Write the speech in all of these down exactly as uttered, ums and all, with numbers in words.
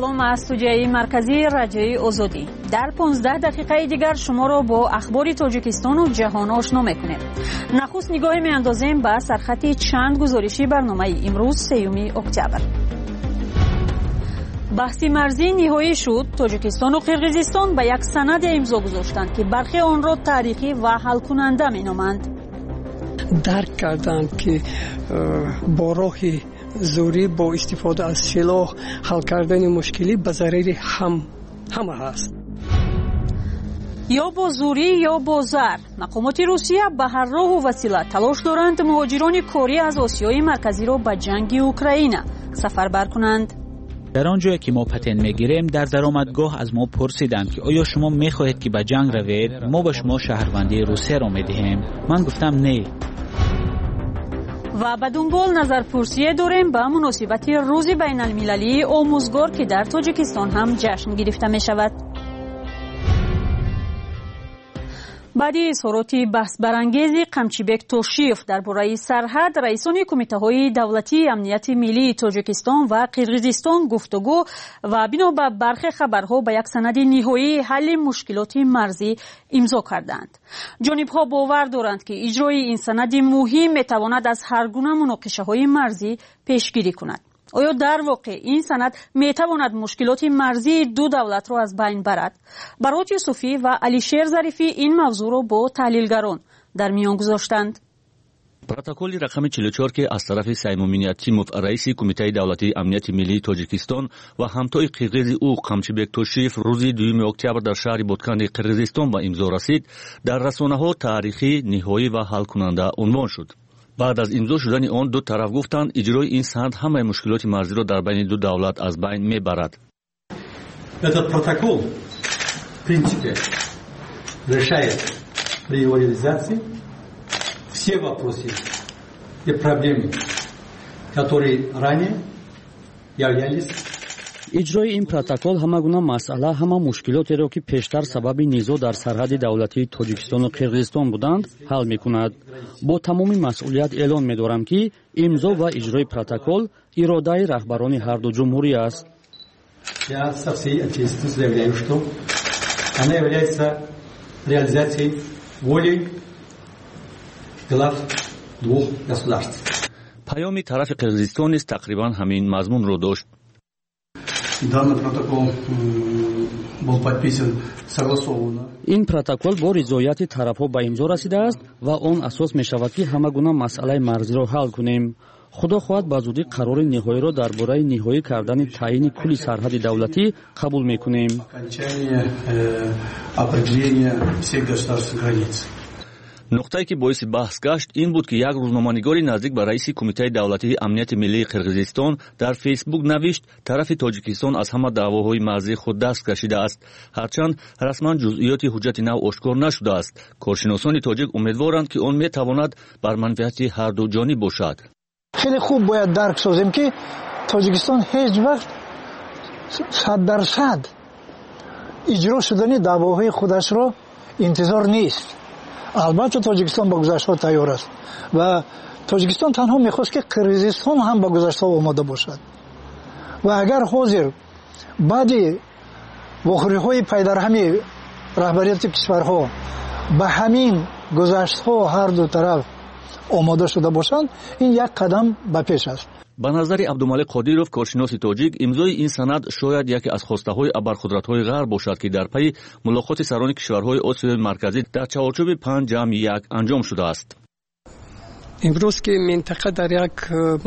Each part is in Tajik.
Салом аз студияи марказии Радиои Озодӣ. Дар понздаҳ дақиқаи дигар шуморо бо ахбори Тоҷикистону ҷаҳон ошно мекунем. Нахуст нигоҳе меандозем ба сархати чанд гузориши барномаи имрӯз, сеюми октябр. Баҳси марзӣ ниҳоӣ шуд. Тоҷикистону Қирғизистон ба як санаде имзо гузоштанд, ки бархе онро таърихӣ ва ҳалкунанда меноманд. Дарк карданд, ки бо роҳи зӯрӣ, бо истифода аз силоҳ ҳал кардани мушкилӣ ба зарари ҳама ҳаст. Ё бо зӯрӣ, ё бо зар. Мақомоти Русия ба ҳар роҳу васила талош доранд муҳоҷирони корӣ аз Осиёи Марказиро ба ҷанги Украина сафарбар кунанд. Дар он ҷое ки мо патент мегирем, дар даромадгоҳ аз мо пурсиданд, ки оё шумо мехоҳед, ки ба ҷанг равед? Мо ба шумо шаҳрвандии Русияро медиҳем. Ман гуфтам не. Ва ба дунбол назарпурсие дорем ба муносибати рӯзи байналмилалии омӯзгор, ки дар Тоҷикистон ҳам ҷашн гирифта мешавад. Баъди изҳороти баҳсбарангези Қамчибек Тошиев дар бораи сарҳад, раисони кумитаҳои давлатии амнияти миллии Тоҷикистон ва Қирғизистон гуфтугӯ ва бино ба бархе хабарҳо ба як санади ниҳоии ҳалли мушкилоти марзӣ имзо карданд. Ҷонибҳо бовар доранд, ки иҷрои ин санади муҳим метавонад аз ҳар гуна муноқишаҳои марзӣ пешгирӣ кунад. Оё дар воқеъ ин санад метавонад мушкилоти марзии ду давлатро аз байн барад? Барот Юсуфӣ ва Алишер Зарифӣ ин мавзӯъро бо таҳлилгарон дар миён гузоштанд. Протоколи рақами чилу чор, ки аз тарафи Саймумин Ятимов, раиси Кумитаи давлатии амнияти миллии Тоҷикистон, ва ҳамтои қирғизи ӯ Қамчибек Тошиев рӯзи дуюми октябр дар шаҳри Ботканди Қирғизистон ба имзо расид, дар расонаҳо таърихӣ, ниҳоӣ ва ҳалкунанда унвон шуд. Баъд аз имзо шудани он ду тараф гуфтанд, иҷрои ин санад ҳамаи мушкилоти марзиро дар байни ду давлат аз байн мебарад. Этот протокол, в принципе, решает при его реализации все вопросы и проблемы, которые ранее являлись. Иҷрои ин протокол ҳама гуна масъала, ҳама мушкилотеро, ки пештар сабаби низоъ дар сарҳади давлатии Тоҷикистону Қирғизистон буданд, ҳал мекунад. Бо тамоми масъулият эълон медорам, ки имзо ва иҷрои протокол иродаи раҳбарони ҳарду ҷумҳурӣ аст. Я со всей ответственностью заявляю, что она является реализацией воли глав двух государств. Паёми тарафи Қирғизистон низ тақрибан ҳамин мазмунро дошт. Данный протокол был подписан согласованно. Ин протокол бо ризояти тарафҳо ба имзо расидааст ва он асос мешавад, ки ҳама гуна масъалаи марзиро ҳал кунем. Худо хоҳад, ба зудӣ қарори ниҳоиро дар бораи ниҳоӣ кардани таъйини кулли сарҳади давлатӣ қабул мекунем. Окончание э, определения всех государственных границ. Нуқтае, ки боиси баҳс гашт, ин буд, ки як рӯзноманигори наздик ба раиси Кумитаи давлатии амнияти миллии Қирғизистон дар Фейсбук навишт, тарафи Тоҷикистон аз ҳама даъвоҳои марзии худ даст кашидааст. Ҳарчанд расман ҷузъиёти ҳуҷҷати нав ошкор нашудааст, коршиносони тоҷик умедворанд, ки он метавонад бар манфиати ҳарду ҷониб бошад. Хеле хуб бояд дарк созем, ки Тоҷикистон ҳеҷ вақт сад дарсад иҷро шудани даъвоҳои худашро интизор нест. Албатта, Тоҷикистон ба гузаштҳо тайёр аст ва Тоҷикистон танҳо мехост, ки Қирғизистон ҳам ба гузаштҳо омода бошад. Ва агар ҳозир баъди вохӯриҳои пайдарҳами раҳбарияти кишварҳо ба ҳамин гузаштҳо ҳар ду тараф омода шуда бошанд, ин як қадам ба пеш аст. Ба назари Абдумалик Қодиров, коршиноси тоҷик, имзои ин санад шояд яке аз хостаҳои абарқудратҳои ғарб бошад, ки дар пайи мулоқоти сарони кишварҳои Осиёи Марказӣ дар чаҳорчӯби панҷ ҷамъи як анҷом шудааст. Имрӯз ки минтақа дар як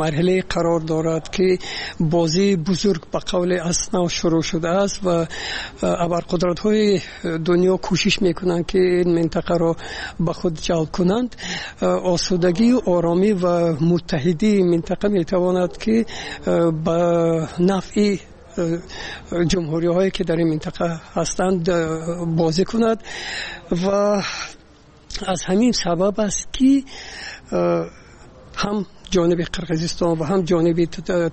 марҳилае қарор дорад, ки бозии бузург ба қавле аз нав шурӯъ шудааст ва абарқудратҳои дунё кӯшиш мекунанд, ки ин минтақаро ба худ ҷалб кунанд, осудагию оромӣ ва муттаҳидии минтақа метавонад, ки ба нафъи ҷумҳуриҳое, ки дар ин минтақа ҳастанд, бозӣ кунад. Ва аз ҳамин сабаб аст, ки ҳам ҷониби Қирғизистон ва ҳам ҷониби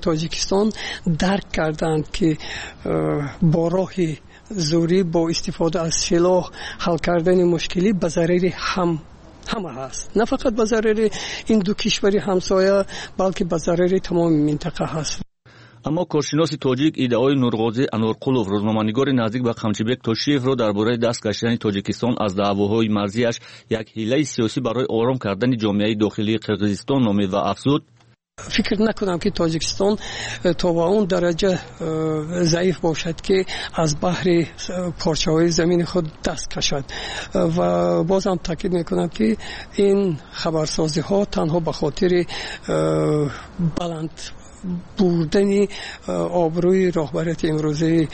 Тоҷикистон дарк карданд, ки бо роҳи зӯрӣ, бо истифода аз силоҳ ҳал кардани мушкилӣ ба зарари ҳам ҳама ҳаст, на фақат ба зарари ин ду кишвари ҳамсоя, балки ба зарари тамоми минтақа ҳаст. Аммо коршиноси тоҷик иддаои Нурғозӣ Анварқулов, рӯзноманигори наздик ба Қамчибек Тошиевро дар бораи даст кашидани Тоҷикистон аз даъвоҳои марзиаш як ҳилаи сиёсӣ барои ором кардани ҷомеаи дохилии Қирғизистон номид ва афзуд: фикр накунам, ки Тоҷикистон то ба он дараҷа заиф бошад, ки аз баҳри порчаҳои замини худ даст кашад. Ва бозам таъкид мекунам, ки ин хабарсозиҳо танҳо ба хотири баланд бурдани обрӯи роҳбарияти имрӯзаи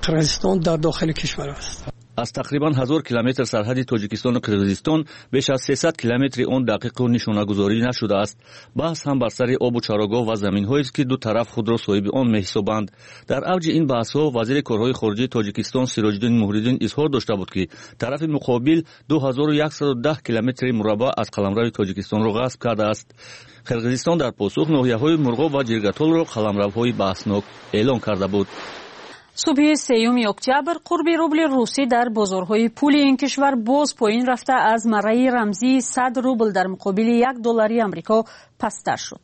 Қирғизистон дар дохили кишвар аст. Аз тақрибан ҳазор километр сарҳади Тоҷикистону Қирғизистон беш аз сесад километри он дақиқу нишонагузорӣ нашудааст. Баҳс ҳам бар сари обу чарогоҳ ва заминҳоест, ки ду тараф худро соҳиби он меҳисобанд. Дар авҷи ин баҳсҳо вазири корҳои хориҷии Тоҷикистон Сироҷиддин Муҳриддин изҳор дошта буд, ки тарафи муқобил ду ҳазору яксаду даҳ километри мураббаъ аз қаламрави Тоҷикистонро ғасб кардааст. Қирғизистон дар посух ноҳияҳои Мурғоб ва Ҷиргатолро қаламравҳои баҳснок эълон карда буд. Субҳи сеюми октябр қурби рубли русӣ дар бозорҳои пули ин кишвар боз поин рафта, аз марраи рамзии сад рубл дар муқобили як доллари Амрико пасттар шуд.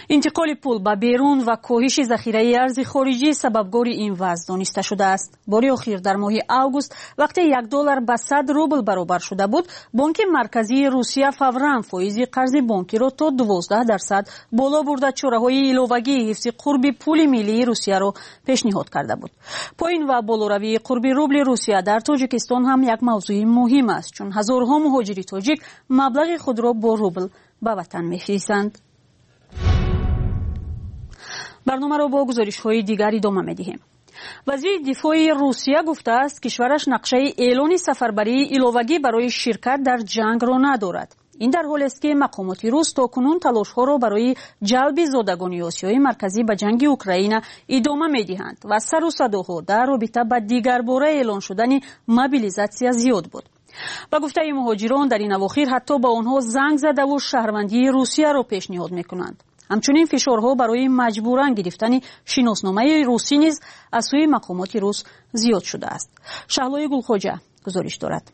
Интиқоли пул ба берун ва коҳиши захираи арзи хориҷӣ сабабгори ин вазъ дониста шудааст. Бори охир дар моҳи август, вақте як доллар ба сад рубл баробар шуда буд, Бонки Марказии Русия фавран фоизи қарзи бонкиро то дувоздаҳ дарсад боло бурда, чораҳои иловагии ҳифзи қурби пули миллии Русияро пешниҳод карда буд. Поин ва болоравии қурби рубли Русия дар Тоҷикистон ҳам як мавзӯи муҳим аст, чун ҳазорҳо муҳоҷири тоҷик маблағи худро бо рубл ба ватан мефиристанд. Барномаро бо гузоришҳои дигар идома медиҳем. Вазири дифои Русия гуфтааст, кишвараш нақшаи эълони сафарбарии иловагӣ барои ширкат дар ҷангро надорад. Ин дар ҳолест, ки мақомоти рус то кунун талошҳоро барои ҷалби зодагони Осиёи Марказӣ ба ҷанги Украина идома медиҳанд ва сару садоҳо дар робита ба дигарбора эълон шудани мобилизатсия зиёд буд. Ба гуфтаи муҳоҷирон, дар ин авохир ҳатто ба онҳо занг задаву шаҳрвандии Русияро пешниҳод мекунанд. Ҳамчунин фишорҳо барои маҷбуран гирифтани шиносномаи русӣ низ аз сӯи мақомоти рус зиёд шудааст. Шаҳлои Гулхоҷа гузориш дорад.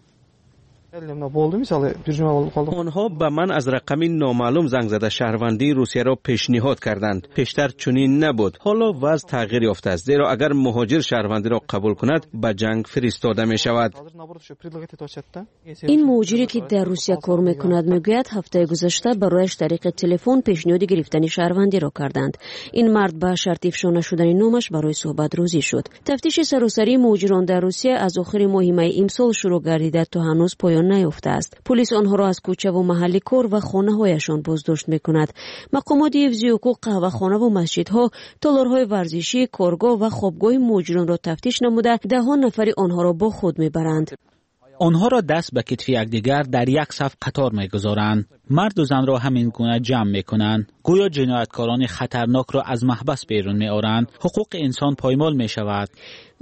Онҳо ба ман аз рақами номаълум занг зада шаҳрвандии Русияро пешниҳод карданд. Пештар чунин набуд. Ҳоло вазъ тағйир ёфтааст, зеро агар муҳоҷир шаҳрвандиро қабул кунад, ба ҷанг фиристода мешавад. Ин муҳоҷире, ки дар Русия кор мекунад, мегӯяд, ҳафтаи гузашта барояш тариқи телефон пешниҳоди гирифтани шаҳрвандиро карданд. Ин мард ба шарти ифшо нашудани номаш барои суҳбат розӣ шуд. Тафтиши саросарии муҳоҷирон дар Русия аз охири моҳи майи имсол шурӯъ гардида, то ҳанӯз поён наёфтааст. Полис онҳоро аз кӯчаву маҳалли кор ва хонаҳояшон боздошт мекунад. Мақомоти ҳифзи ҳуқуқ қаҳвахонаву масҷидҳо, толорҳои варзишӣ, коргоҳ ва хобгоҳи муҳоҷиронро тафтиш намуда, даҳон нафари онҳоро бо худ мебаранд. Онҳоро даст ба китфи якдигар дар як саф қатор мегузоранд. Марду занро ҳамин гуна ҷамъ мекунанд. Гӯё ҷинояткорони хатарнокро аз маҳбас берун меоранд. Ҳуқуқи инсон поймол мешавад.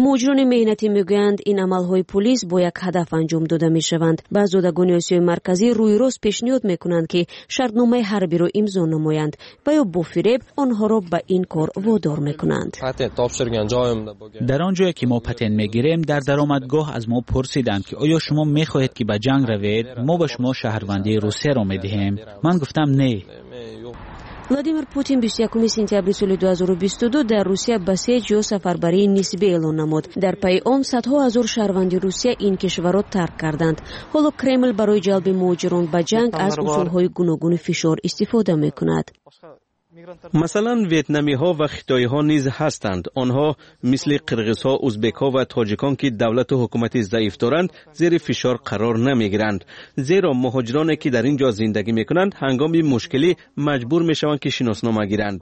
Муҳоҷирони меҳнатӣ мегӯянд, ин амалҳои полис бо як ҳадаф анҷом дода мешаванд. Ба зодагони Осиёи Марказӣ рӯи рост пешниҳод мекунанд, ки шартномаи ҳарбиро имзо намоянд ва ё бо фиреб онҳоро ба ин кор водор мекунанд. Дар он ҷое ки мо патент мегирем, дар даромадгоҳ аз мо пурсиданд, ки оё шумо мехоҳед, ки ба ҷанг равед? Мо ба шумо шаҳрвандии Русияро медиҳем. Ман гуфтам не. Владимир Путин бисту якуми сентябри соли ду ҳазору бисту ду дар Русия басеҷ ё сафарбарии нисбӣ эълон намуд. Дар пайи он садҳо ҳазор шаҳрванди Русия ин кишварро тарк карданд. Ҳоло Кремл барои ҷалби муҳоҷирон ба ҷанг аз усулҳои гуногуни фишор истифода мекунад. Масалан, ветнамиҳо ва хитоиҳо низ ҳастанд. Онҳо мисли қирғизҳо, узбекҳо ва тоҷикон, ки давлату ҳукумати заиф доранд, зери фишор қарор намегиранд. Зеро муҳоҷироне, ки дар ин ҷо зиндагӣ мекунанд, ҳангоми мушкилӣ маҷбур мешаванд, ки шиноснома гиранд.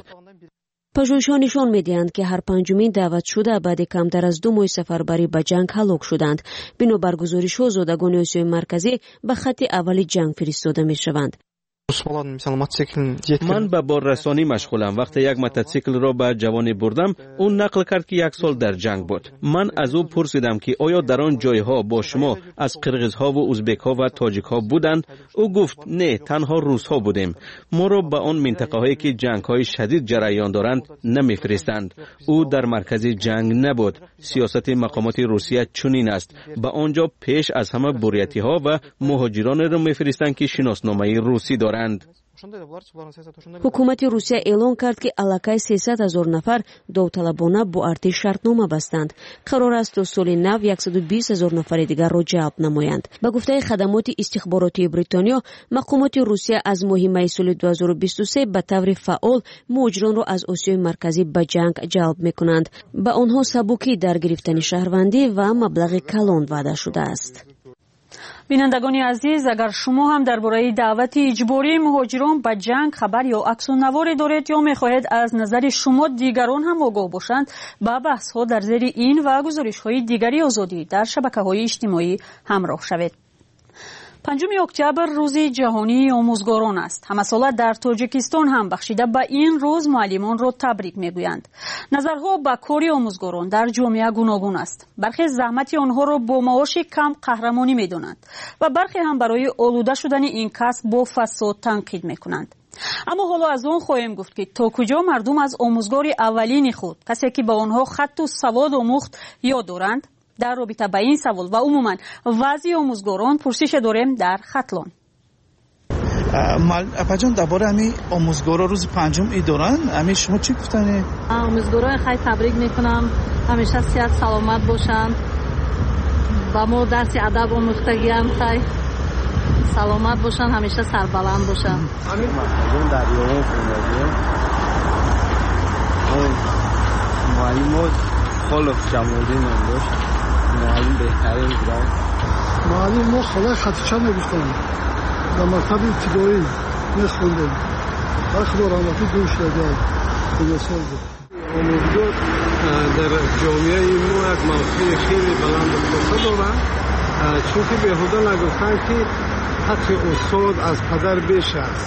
Пажӯҳишҳо нишон медиҳанд, ки ҳар панҷумин даъватшуда баъди камтар аз ду моҳи сафарбарӣ ба ҷанг ҳалок шуданд. Бинобар гузоришҳо, зодагони Осиёи Марказӣ ба хатти аввали ҷанг фиристода мешаванд. Ман ба боррасонӣ машғулам. Вақте як мотоциклро ба ҷавоне бурдам, ӯ нақл кард, ки як сол дар ҷанг буд. Ман аз ӯ пурсидам, ки оё дар он ҷойҳо бо шумо аз қирғизҳову узбекҳо ва тоҷикҳо буданд? Ӯ гуфт, не, танҳо русҳо будем. Моро ба он минтақаҳое, ки ҷангҳои шадид ҷараён доранд, намефиристанд. Ӯ дар маркази ҷанг набуд. Сиёсати мақомоти Русия чунин аст. Ба он ҷо пеш аз ҳама буриятиҳо ва муҳоҷиронеро мефиристанд, ки шиносномаи русӣ доранд. Ҳукумати Русия эълон кард, ки аллакай сесад ҳазор нафар довталабона бо артиш шартнома бастанд. Қарор аст то соли нав яксаду бист ҳазор нафари дигарро ҷалб намоянд. Ба гуфтаи хадамоти истихборотии Бритониё, мақомоти Русия аз моҳи майи соли ду ҳазору бисту се ба таври фаъол муҳоҷиронро аз Осиёи Марказӣ ба ҷанг ҷалб мекунанд. Ба онҳо сабукӣ дар гирифтани шаҳрвандӣ ва маблағи калон ваъда шудааст. Бинандагони азиз, агар шумо ҳам дар бораи даъвати иҷбории муҳоҷирон ба ҷанг хабар ё аксу наворе доред ё мехоҳед аз назари шумо дигарон ҳам огоҳ бошанд, ба баҳсҳо дар зери ин ва гузоришҳои дигари Озодӣ дар шабакаҳои иҷтимоӣ ҳамроҳ шавед. Панҷуми октябр рӯзи ҷаҳонии омӯзгорон аст. Ҳамасола дар Тоҷикистон ҳам бахшида ба ин рӯз муаллимонро табрик мегӯянд. Назарҳо ба кори омӯзгорон дар ҷомеа гуногун аст. Бархе заҳмати онҳоро бо маоши кам қаҳрамонӣ медонанд ва бархе ҳам барои олуда шудани ин касб бо фасод танқид мекунанд. Аммо ҳоло аз он хоҳем гуфт, ки то куҷо мардум аз омӯзгори аввалини худ, касе ки ба онҳо хатту савод омӯхт, ёд доранд. Дар робита ба ин савол ва умуман вазъи омӯзгорон пурсише дорем дар Хатлон. Апаҷон, дар бораи ҳамин омӯзгоро рӯзи панҷум ид доранд, ҳамин шумо чӣ гуфтанед? Омӯзгорои хай табрик мекунам, ҳамеша сиҳат саломат бошанд, ба мо дарси адаб омӯхтагиам, хай саломат бошанд, ҳамеша сарбаланд бошанд. Дар ёвон хондагиам муаллимо Холов Ҷамолиддин ном дошт. Муаллим беҳтарин буданд. Муаллим мо холаи Хатича мегуфтанд. Дар мактаби ибтидоӣ мехондем. Ва Худо раҳматӣ дур шудагиам. Дунёсол буд. Омӯзгор дар ҷомеаи мо як мавқеи хеле баланду хоса дорад, чунки беҳуда нагуфтанд, ки ҳаққи устод аз падар беш аст,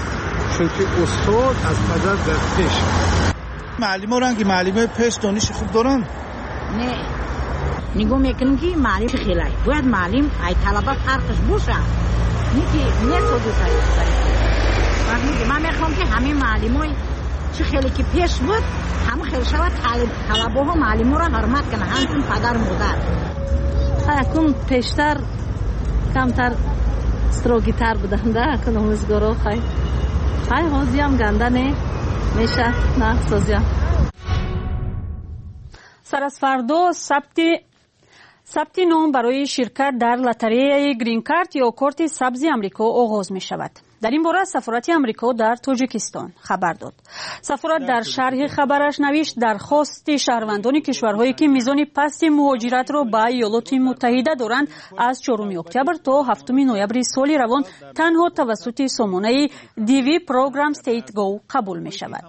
чунки устод аз падар дар пеш аст. Муаллимо ранги муаллимои пеш дониши хуб доранд? Не, нигоҳ мекунем, ки муаллим хелай. Бояд муаллим ай талаба фарқш бошад. Не ки не содусай. Ман мехоҳам, ки ҳамин муаллимои чӣ хеле ки пеш буд, ҳама хел шавад, талабаҳо муаллиморо ҳурмат кунанд, ҳамчун падару модар. Акун пештар камтар строгитар буданд, акун омӯзгоро хай. Хай ҳозиям ганда не меша, на созиям. Сар аз фардо сабти сабти ном барои ширкат дар лотареяи грин-карт ё корти сабзи Амрико оғоз мешавад. Дар ин бора сафорати Амрико дар Тоҷикистон хабар дод. Сафорат дар шарҳи хабараш навишт, дархости шаҳрвандони кишварҳое, ки мизони пасти муҳоҷиратро ба Иёлоти Муттаҳида доранд, аз чоруми октябр то ҳафтуми ноябри соли равон танҳо тавассути сомонаи D V Program State Go қабул мешавад.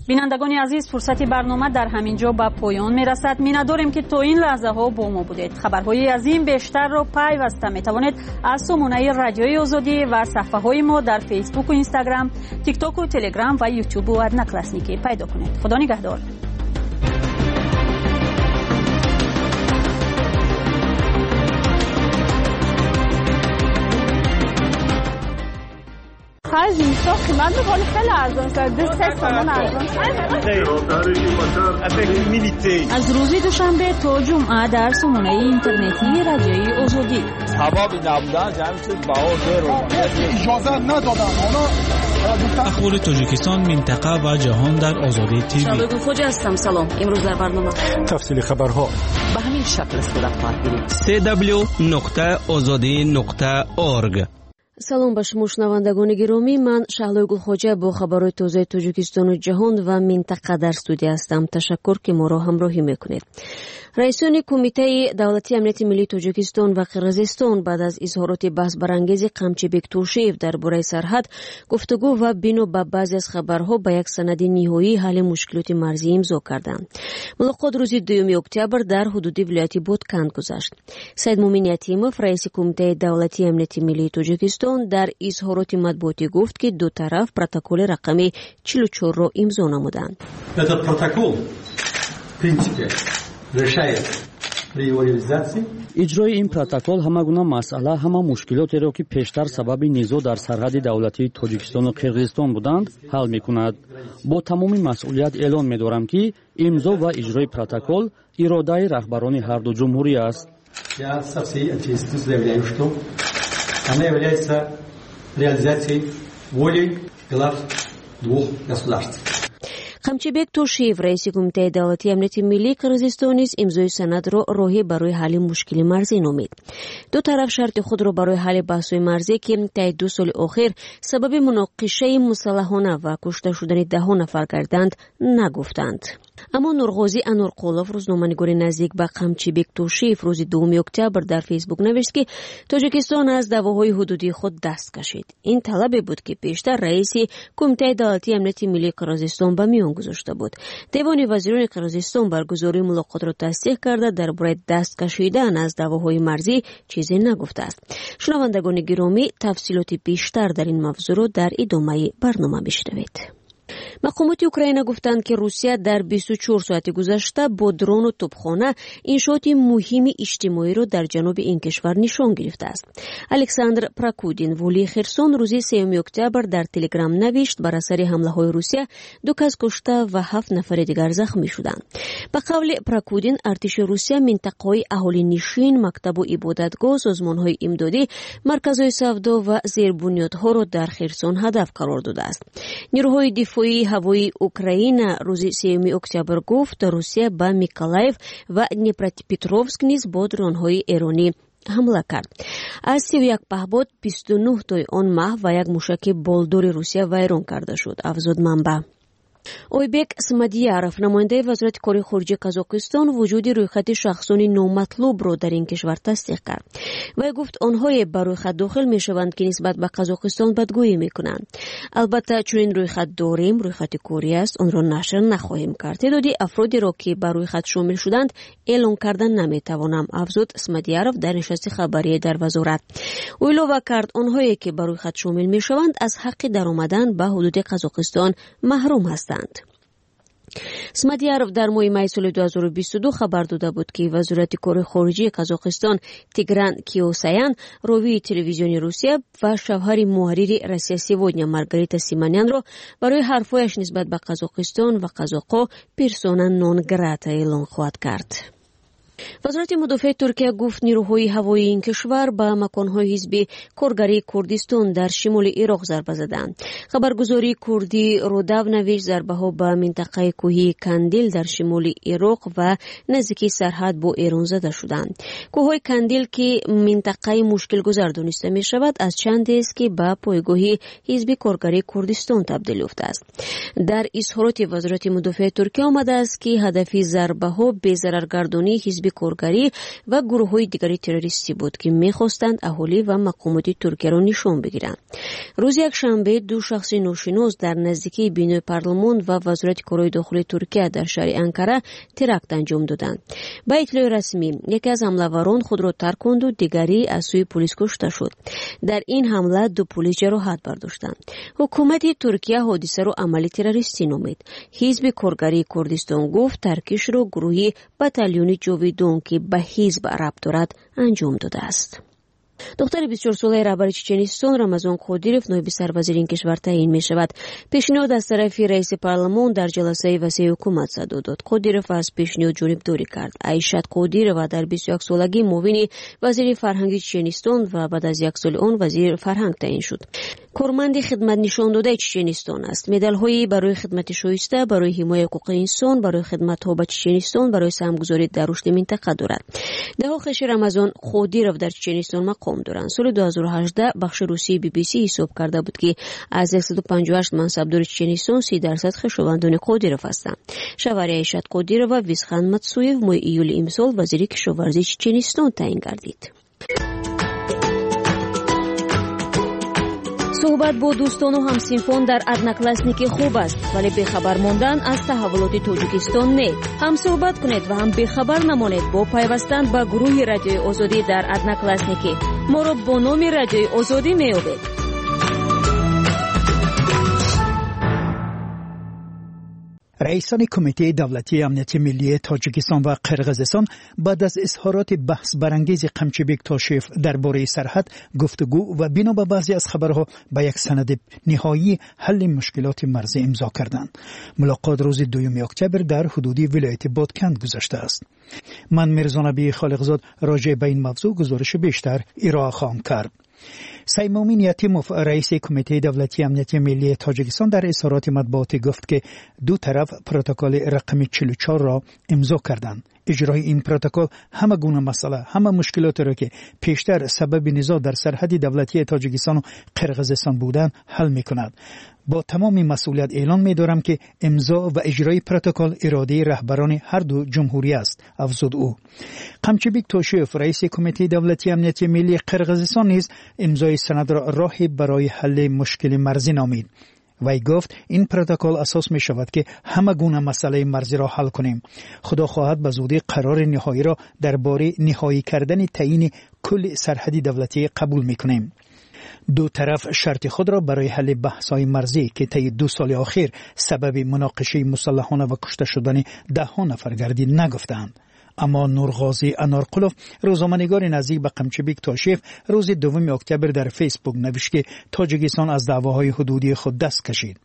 Бинандагони азиз, фурсати барнома дар ҳамин ҷо ба поён мерасад. Миннатдорем, ки то ин лаҳзаҳо бо мо будед. Хабарҳои аз ин бештарро пайваста метавонед аз сомонаи Радиои Озодӣ ва саҳфаҳои мо дар Фейсбуку Инстаграм, Тиктоку Телеграм ва Ютубу Одноклассники пайдо кунед. Худо нигаҳдор. Хай зимистон қимат буд, ҳоли хеле арзон шуд. Ду се сомон арзон шуд. Аз рӯзи душанбе то ҷумъа дар сомонаи интернетии Радиои Озодӣ. Сабаби набудан ҷамъ шуд баҳо беро. Иҷоза надодам. Ахбори Тоҷикистон, минтақа ва ҷаҳон дар Озодӣ ТВ. Шаҳлои Гулхоҷа ҳастам. Салом. Имрӯз дар барнома тафсили хабарҳо ба ҳамин шакл сурат хоҳад гирифт. се дабл ю нуқта озодӣ нуқта орг. Салом ба шумо шунавандагони гиромӣ. Ман Шаҳлои Гулхоҷа бо хабарҳои тозаи Тоҷикистону ҷаҳон ва минтақа дар студия ҳастам. Ташаккур, ки моро ҳамроҳӣ мекунед. Раисони Кумитаи давлатии амнияти миллии Тоҷикистон ва Қирғизистон баъд аз изҳороти баҳсбарангези Қамчибек Тошиев дар бораи сарҳад гуфтугӯ ва бино ба баъзе аз хабарҳо ба як санади ниҳоии ҳалли мушкилоти марзӣ имзо карданд. Мулоқот рӯзи дуюми октябр дар ҳудуди вилояти Ботканд гузашт. Саидмумин Ятимов, раиси Кумитаи давлатии амнияти миллии Тоҷикистон, дар изҳороти матбуотӣ гуфт, ки ду тараф протоколи рақами чилу чорро имзо намуданд. Этот протокол, в принципе, решает при его реализации. Иҷрои ин протокол ҳама гуна масъала, ҳама мушкилотеро, ки пештар сабаби низоъ дар сарҳади давлатии Тоҷикистону Қирғизистон буданд, ҳал мекунад. Бо тамоми масъулият эълон медорам, ки имзо ва иҷрои протокол иродаи раҳбарони ҳарду ҷумҳурӣ аст. Я со всей ответственностью заявляю, что она является реализации воли глав двух государств. Қамчибек Тошиев, раиси Кумитаи давлатии амнияти миллии Қирғизистон, низ имзои санадро роҳе барои ҳалли мушкили марзӣ номид. Ду тараф шарти худро барои ҳалли баҳсҳои марзӣ, ки таи ду соли охир сабаби муноқишаи мусаллаҳона ва кушта шудани даҳо нафар гарданд, нагуфтанд. Аммо Нурғозӣ Анурқулов, рӯзноманигори наздик ба Қамчибек Тошиев, рӯзи дуюми октябр дар Фейсбук навишт, ки Тоҷикистон аз даъвоҳои ҳудудии худ даст кашид. Ин талабе буд, ки пештар раиси Кумитаи давлатии амнияти миллии Қирғизистон ба миён гузошта буд. Девони вазирони Қирғизистон баргузории мулоқотро тасдиқ карда, дар бораи даст кашидан аз даъвоҳои марзӣ чизе нагуфтааст. Шунавандагони гиромӣ, тафсилоти бештар дар ин мавзӯъро дар идомаи барнома бишнавед. Мақомоти Украина гуфтанд, ки Русия дар бисту чор соати гузашта бо дрону тӯбхона иншооти муҳими иҷтимоиро дар ҷануби ин кишвар нишон гирифтааст. Александр Прокудин, волии Херсон, рӯзи сеюми октябр дар Телеграм навишт, бар асари ҳамлаҳои Русия ду кас кушта ва ҳафт нафари дигар захмӣ шуданд. Ба қавли Прокудин, артиши Русия минтақаҳои аҳолинишин, мактабу ибодатгоҳ, созмонҳои имдодӣ, марказҳои савдо ва зербунёдҳоро дар Херсон ҳадаф қарор додааст. Нерӯҳои дифоии ҳавоии Украина рӯзи сеюми октябр гуфт, Русия ба Миколаев ва Днепропетровск низ бо дронҳои эронӣ ҳамла кард. Аз сию як паҳбод бисту нӯҳ тои он маҳв ва як мушаки болдори Русия вайрон карда шуд, афзуд манбаъ. Ойбек Смадияров, намояндаи Вазорати кори хориҷии Қазоқистон, вуҷуди рӯйхати шахсони номатлубро дар ин кишвар тасдиқ кард. Вай гуфт, онҳое ба рӯйхат дохил мешаванд, ки нисбат ба Қазоқистон бадгӯӣ мекунанд. Албатта, чунин рӯйхат дорем, рӯйхати корӣ аст, онро нашр нахоҳем кард. Теъдоди афродеро, ки ба рӯйхат шомил шуданд, эълон карда наметавонам, афзуд Смадияров дар нишасти хабарие дар вазорат. Ӯ илова кард, онҳое ки ба рӯйхат шомил мешаванд, аз ҳаққи даромадан ба ҳудуди Қазоқистон маҳрум ҳастанд. Смадияров дар моҳи майи соли ду ҳазору бисту ду хабар дода буд, ки Вазорати кори хориҷии Қазоқистон Тигран Киосаян, ровии телевизиони Русия ва шавҳари муҳаррири Россия Сегодня Маргарита Симонянро барои ҳарфҳояш нисбат ба Қазоқистон ва қазоқҳо персона нон грата эълон хоҳад кард. Вазорати мудофиаи Туркия гуфт, нерӯҳои ҳавоии ин кишвар ба маконҳои ҳизби коргарии Курдистон дар шимоли Ироқ зарба заданд. Хабаргузории курдӣ Рудав навишт, зарбаҳо ба минтақаи кӯҳии Кандил дар шимоли Ироқ ва наздикии сарҳад бо Эрон зада шуданд. Кӯҳҳои Кандил, ки минтақаи мушкилгузар дониста мешавад, аз чандест, ки ба пойгоҳи ҳизби коргарии Курдистон табдил ёфтааст. Дар изҳороти Вазорати мудофиаи Туркия омадааст, ки ҳадафи зарбаҳо безараргардонии ҳизби коргарӣ ва гурӯҳҳои дигари террористӣ буд, ки мехостанд аҳолӣ ва мақомоти Туркияро нишон бигиранд. Рӯзи якшанбе ду шахси ношинос дар наздикии бинои парлумон ва Вазорати корҳои дохилии Туркия дар шаҳри Анкара теракт анҷом доданд. Ба иттилои расмӣ, яке аз ҳамлаварон худро тарконду дигарӣ аз сӯи полис кушта шуд. Дар ин ҳамла ду полис ҷароҳат бардоштанд. Ҳукумати Туркия ҳодисаро амали террористӣ номид. Ҳизби коргарии Курдистон гуфт, таркишро гурӯҳи батальони ҷовидон, ки ба ҳизб рабт дорад, анҷом додааст. Духтари бисту чорсолаи раҳбари Чеченистон Рамазон Қодиров ноиби сарвазири ин кишвар таъин мешавад. Пешниҳод аз тарафи раиси парлумон дар ҷаласаи васеи ҳукумат садо дод. Қодиров аз пешниҳод ҷонибдорӣ кард. Айшат Қодирова дар бисту як солагӣ муовини вазири фарҳанги Чеченистон ва баъд аз як соли он вазири фарҳанг таъин шуд. Корманди хидматнишондодаи Чеченистон аст. Медалҳои барои хидмати шоиста, барои ҳимояи ҳуқуқи инсон, барои хидматҳо ба Чеченистон, барои саҳмгузорӣ дар рушди минтақа дорад. Даҳо хеши Рамазон Қодиров дар Чеченистон мақом доранд. Соли ду ҳазору ҳаждаҳ бахши русии би би си ҳисоб карда буд, ки аз яксаду панҷоҳу ҳашт мансабдори Чеченистон си дарсад хешовандони Қодиров ҳастанд. Шавҳари Айшат Қодирова Висхан Матсуев моҳи июли имсол вазири кишоварзии Чеченистон таъин гардид. Суҳбат бо дӯстону ҳамсинфон дар Одноклассники хуб аст, вале бехабар мондан аз таҳаввулоти Тоҷикистон не. Ҳам суҳбат кунед ва ҳам бехабар намонед бо пайвастан ба гурӯҳи Радиои Озодӣ дар Одноклассники. Моро бо номи Радиои Озодӣ меёбед. Раисони Кумитаи давлатии амнияти миллии Тоҷикистон ва Қирғизистон баъд аз изҳороти баҳсбарангези Қамчибек Тошиев дар бораи сарҳад гуфтугӯ ва бино ба баъзе аз хабарҳо ба як санади ниҳоии ҳалли мушкилоти марзӣ имзо карданд. Мулоқот рӯзи дуюми октябр дар ҳудуди вилояти Бодканд гузаштааст. Ман Мирзонабии Холиқзод роҷеъ ба ин мавзӯъ гузориши бештар ироа хоҳам кард. Саймумин Ятимов, раиси Кумитаи давлатии амнияти миллии Тоҷикистон, дар изҳороти матбуотӣ гуфт, ки ду тараф протоколи рақами чилу чорро имзо карданд. Иҷрои ин протокол ҳама гуна масъала, ҳама мушкилотеро, ки пештар сабаби низоъ дар сарҳади давлатии Тоҷикистону Қирғизистон буданд, ҳал мекунад. Бо тамоми масъулият эълон медорам, ки имзо ва иҷрои протокол иродаи раҳбарони ҳар ду ҷумҳурӣ аст, афзуд ӯ. Қамчибек Тошиев, раиси Кумитаи давлатии амнияти миллии Қирғизистон, низ имзои санадро роҳе барои ҳалли мушкили марзӣ номид. Вай гуфт, ин протокол асос мешавад, ки ҳама гуна масъалаи марзиро ҳал кунем. Худо хоҳад, ба зудӣ қарори ниҳоиро дар бораи ниҳоӣ кардани таъйини кулли сарҳади давлатӣ қабул мекунем. Ду тараф шарти худро барои ҳалли баҳсҳои марзӣ, ки таи ду соли охир сабаби муноқишаи мусаллаҳона ва кушта шудани даҳҳо нафар гардид, нагуфтаанд. Аммо Нурғозӣ Анорқулов, рӯзноманигори наздик ба Қамчибек Тошиев, рӯзи дуюми октябр дар Фейсбук навишт, ки Тоҷикистон аз даъвоҳои ҳудудии худ даст кашид.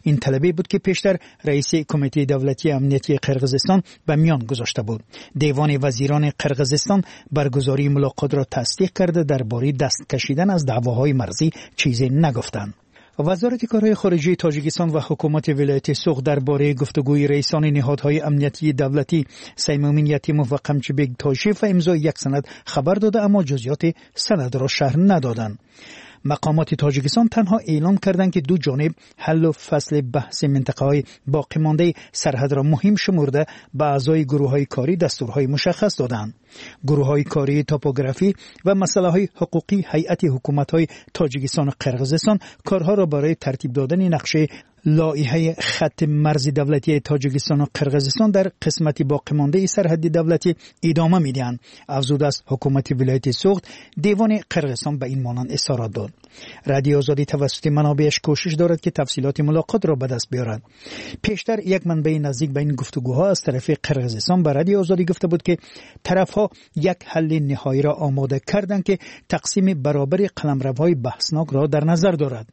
Ин талабе буд, ки пештар раиси Кумитаи давлатии амниятии Қирғизистон ба миён гузошта буд. Девони вазирони Қирғизистон баргузории мулоқотро тасдиқ карда, дар бораи даст кашидан аз даъвоҳои марзӣ чизе нагуфтанд. Вазорати корҳои хориҷии Тоҷикистон ва ҳукумати вилояти Суғд дар бораи гуфтугӯи раисони ниҳодҳои амниятии давлатӣ Саймумин Ятимов ва Қамчибек Тошиев ва имзои як санад хабар дода, аммо ҷузъиёти санадро шарҳ надоданд. Мақомоти Тоҷикистон танҳо эълон карданд, ки ду ҷониб ҳаллу фасли баҳси минтақаҳои боқимондаи сарҳадро муҳим шумурда, ба аъзои гурӯҳҳои корӣ дастурҳои мушаххас доданд. Гурӯҳҳои кории топографӣ ва масъалаҳои ҳуқуқӣ ҳайати ҳукуматҳои Тоҷикистону Қирғизистон корҳоро барои тартиб додани нақшаи лоиҳаи хатти марзи давлатии Тоҷикистону Қирғизистон дар қисмати боқимондаи сарҳади давлатӣ идома медиҳанд. Афзуд аст ҳукумати вилояти Суғд, девони Қирғизистон ба ин монанд изҳорот дод. Радиои Озодӣ тавассути манобеаш кӯшиш дорад, ки тафсилоти мулоқотро ба даст биёрад. Пештар як манбаи наздик ба ин гуфтугӯҳо аз тарафи Қирғизистон ба Радиои Озодӣ гуфта буд, ки тарафҳо як ҳалли ниҳоиро омода карданд, ки тақсими баробари қаламравҳои баҳснокро дар назар дорад.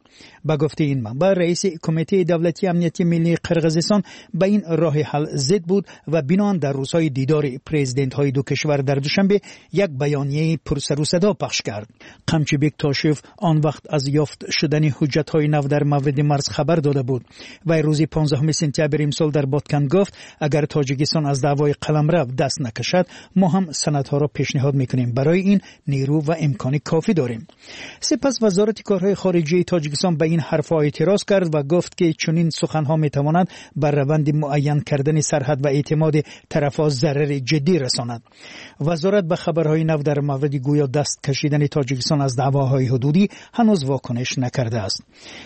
Ба гуфтаи ин манбаъ, раиси Кумитаи давлатии амнияти миллии Қирғизистон ба ин роҳи ҳал зид буд ва биноан дар рӯзҳои дидори президентҳои ду кишвар дар Душанбе як баёнияи пурсарусадо пахш кард. Қамчибек Тошиев он вақт аз ёфт шудани ҳуҷҷатҳои нав дар мавриди марз хабар дода буд. Вай рӯзи понздаҳуми сентябри имсол дар Ботканд гуфт, агар Тоҷикистон аз даъвои қаламрав даст накашад, мо ҳам санадҳоро пешниҳод мекунем. Барои ин нерӯ ва имкони кофӣ дорем. Сипас Вазорати корҳои хориҷии Тоҷикистон ба ин ҳарфҳо эътироз кард ва гуфт, ки чунин суханҳо метавонанд бар раванди муайян кардани сарҳад ва эътимоди тарафҳо зарари ҷиддӣ расонад. Вазорат ба хабарҳои нав дар мавриди гӯё даст кашидани Тоҷикистон аз даъвоҳои ҳудудӣ ҳанӯз вокуниш накардааст.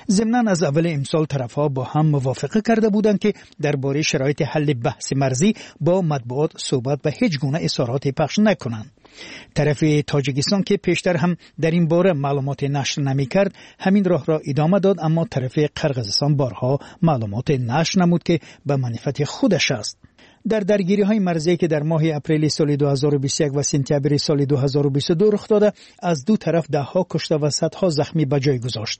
Зимнан аз аввали имсол тарафҳо бо ҳам мувофиқа карда буданд, ки дар бораи шароити ҳалли баҳси марзӣ бо матбуот суҳбат ва ҳеҷ гуна изҳороте пахш накунанд. Тарафи Тоҷикистон, ки пештар ҳам дар ин бора маълумоте нашр намекард, ҳамин роҳро идома дод, аммо тарафи Қирғизистон борҳо маълумоте нашр намуд, ки ба манфиати худаш аст. Дар даргириҳои марзие, ки дар моҳи апрели соли ду ҳазору бисту як ва сентябри соли ду ҳазору бисту ду рух дода, аз ду тараф даҳҳо кушта ва садҳо захмӣ ба ҷой гузошт.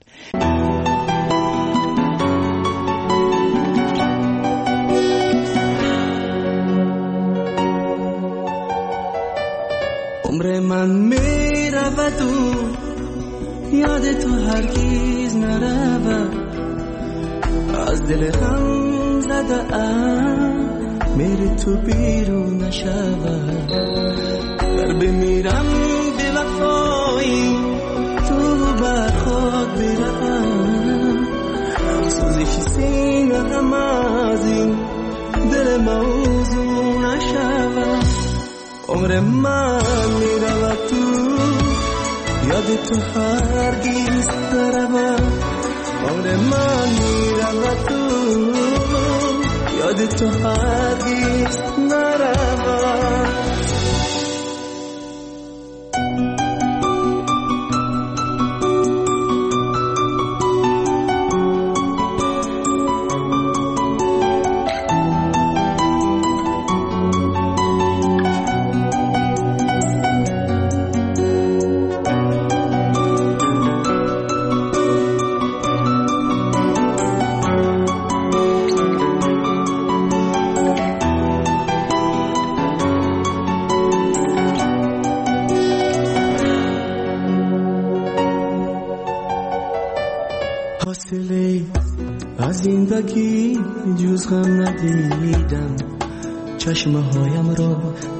عمر من میرود و یاد تو هرگز نرود، از دل غم زده ام میری تو بیرون نشود، گر بمیرم به وفایی تو بر خود بروم، سوزش سینه هم از این دل موزون نشود. عمر من میرود تو یاد تو هرگز نرود، عمر من میرود تو یاد تو هرگز نرود. Аз зиндагӣ ҷуз ғам надидам, чашмҳоямро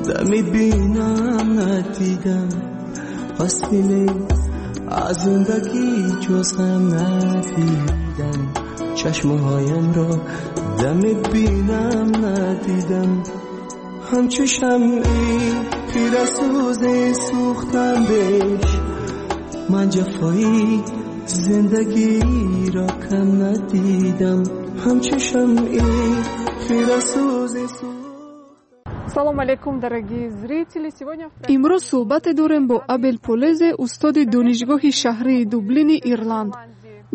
дами бинам надидам. Фасле аз зиндагӣ ҷуз ғам надидам, чашмҳоямро дами бинам надидам. Ҳамчу шамъи пирасӯзе сӯхтам беш, ман ҷафои зиндагиро кам надидам. Ҳамчу шамъи пирасӯзе. Салом алейкум, дорогие зрители. Сегодня имрӯз суҳбате дорем бо Абел Полезе, устоди донишгоҳи шаҳрии Дублини Ирланд.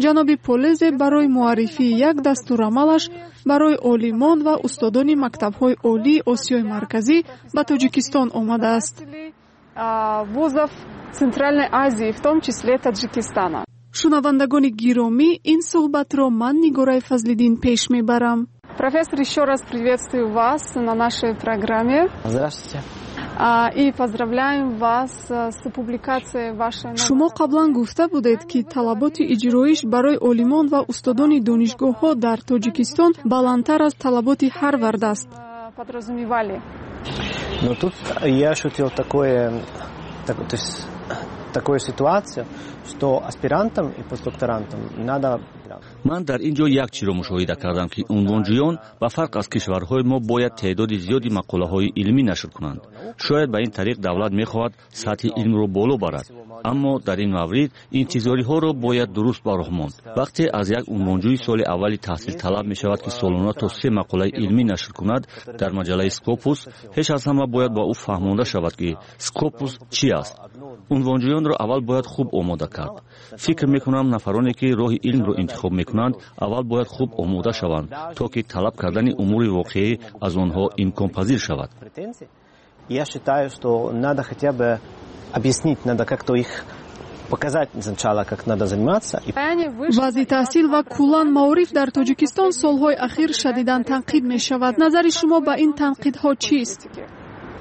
Ҷаноби Полезе барои муаррифии як дастурамалаш барои олимон ва устодони мактабҳои олии Осиёи Марказӣ ба Тоҷикистон омадааст. Вузов Центральной Азии, в том числе Таджикистана. Шунавандагони гиромӣ, ин суҳбатро ман Нигораи Фазлиддин пеш мебарам. Профессор, еще раз приветствую вас на нашей программе. Здравствуйте. И поздравляем вас с публикацией вашей... Шумо қаблан гуфта будед, ки талаботи иҷроиш барои олимон ва устодони донишгоҳҳо дар Тоҷикистон баландтар аз талаботи Ҳарвард аст. Подразумевали. Но тут я ощутил такое, так, то есть, такую ситуацию, что аспирантам и постдокторантам надо. Ман дар ин ҷо як чиро мушоҳида кардам, ки унвонҷӯён ба фарқ аз кишварҳои мо бояд теъдоди зиёди мақолаҳои илмӣ нашр кунанд. Шояд ба ин тариқ давлат мехоҳад сатҳи илмро боло барад, аммо дар ин маврид интизориҳоро бояд дуруст ба роҳ монд. Вақте аз як унвонҷӯи соли аввали таҳсил талаб мешавад, ки солона то се мақолаи илмӣ нашр кунад дар маҷаллаи Скопус, ҳеч аз ҳама бояд ба ӯ фаҳмонда шавад, ки Скопус чӣ аст. Унвонҷӯёнро аввал бояд хуб омода кард. Фикр мекунам, нафароне ки роҳи илмро интихоб мекунанд, аввал бояд хуб омода шаванд, то ки талаб кардани умури воқеӣ аз онҳо имконпазир шавад. Я считаю, что надо хотя бы объяснить, надо как-то их показать сначала, как надо заниматься. Вазъи таҳсил ва куллан маориф дар Тоҷикистон солҳои ахир шадидан танқид мешавад. Назари шумо ба ин танқидҳо чист?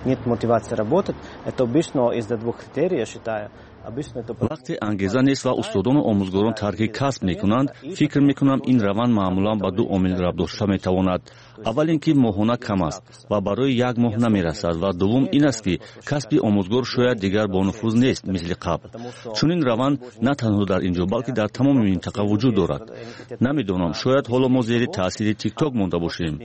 Нет мотивации работать. Это обычно из-за двух критерий, я считаю. Вақте ангеза нест ва устодону омӯзгорон тарки касб мекунанд, фикр мекунам, ин раванд маъмулан ба ду омил рабт дошта метавонад. Аввал ин ки моҳона кам аст ва барои як моҳ намерасад, ва дуввум ин аст, ки касби омӯзгор шояд дигар бонуфуз нест мисли қабл. Чунин раванд на танҳо дар ин ҷо, балки дар тамоми минтақа вуҷуд дорад. Намедонам, шояд ҳоло мо зери таъсири тикток монда бошем.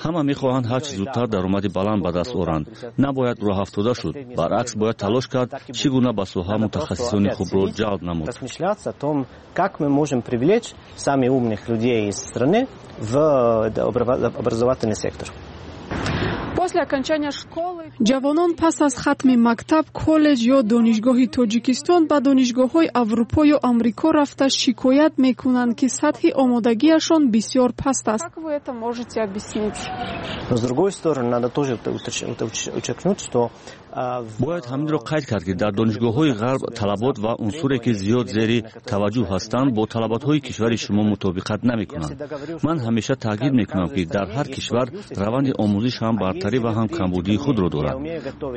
Ҳама мехоҳанд ҳарчи зудтар даромади баланд ба даст оранд. Набояд роҳафтода шуд, баръакс бояд талош кард, чӣ гуна ба соҳа мутахассисони хубро ҷалб намуд. Размышляться о том, как мы можем привлечь самых умных людей из страны в образовательный сектор. После окончания школы Ҷавонон пас аз хатми мактаб, коллеҷ ё донишгоҳи Тоҷикистон ба донишгоҳҳои Аврупо ё Амрико рафта шикоят мекунанд, ки сатҳи омодагиашон бисёр паст аст. Как вы это можете объяснить? Но с другой стороны, надо тоже подчеркнуть, что бояд ҳаминро қайд кард, ки дар донишгоҳҳои ғарб талабот ва унсуре, ки зиёд зери таваҷҷӯҳ ҳастанд, бо талаботҳои кишвари шумо мутобиқат намекунанд. Ман ҳамеша таъкид мекунам, ки дар ҳар кишвар раванди омӯзиш ҳам бартарӣ ва ҳам камбудии худро дорад.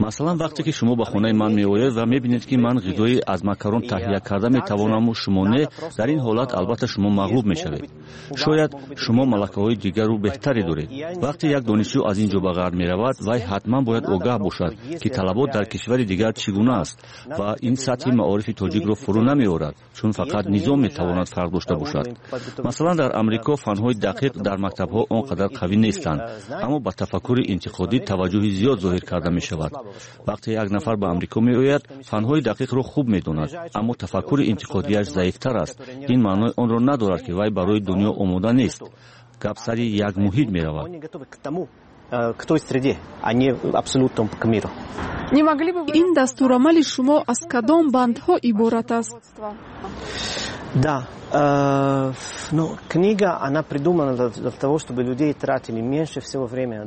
Масалан, вақте ки шумо ба хонаи ман меоед ва мебинед, ки ман ғизои аз макарон таҳия карда метавонаму шумо не, дар ин ҳолат албатта шумо мағлуб мешавед. Шояд шумо малакаҳои дигару беҳтаре доред. Вақте як донишҷӯ аз ин ҷо ба ғарб меравад, вай ҳатман бояд огаҳ бошад, ки талабот дар кишвари дигар чӣ гуна аст ва ин сатҳи маорифи тоҷикро фурӯ намеорад, чун фақат низом метавонад фарқ дошта бошад. Масалан, дар Амрико фанҳои дақиқ дар мактабҳо он қадар қавӣ нестанд, аммо ба тафаккури интиқодӣ таваҷҷӯҳи зиёд зоҳир карда мешавад. Вақте як нафар ба Амрико меояд, фанҳои дақиқро хуб медонад, аммо тафаккури интиқодиаш заифтар аст. Ин маънои онро надорад, ки вай барои дунё омода нест. Гап сари як муҳит меравад. К той среде, а не абсолютно к миру. Не могли бы вы... Ин дастурамали шумо аз кадом бандҳо иборат аст? Да, э, ну, книга, она придумана для, для того, чтобы людей тратили меньше всего времени.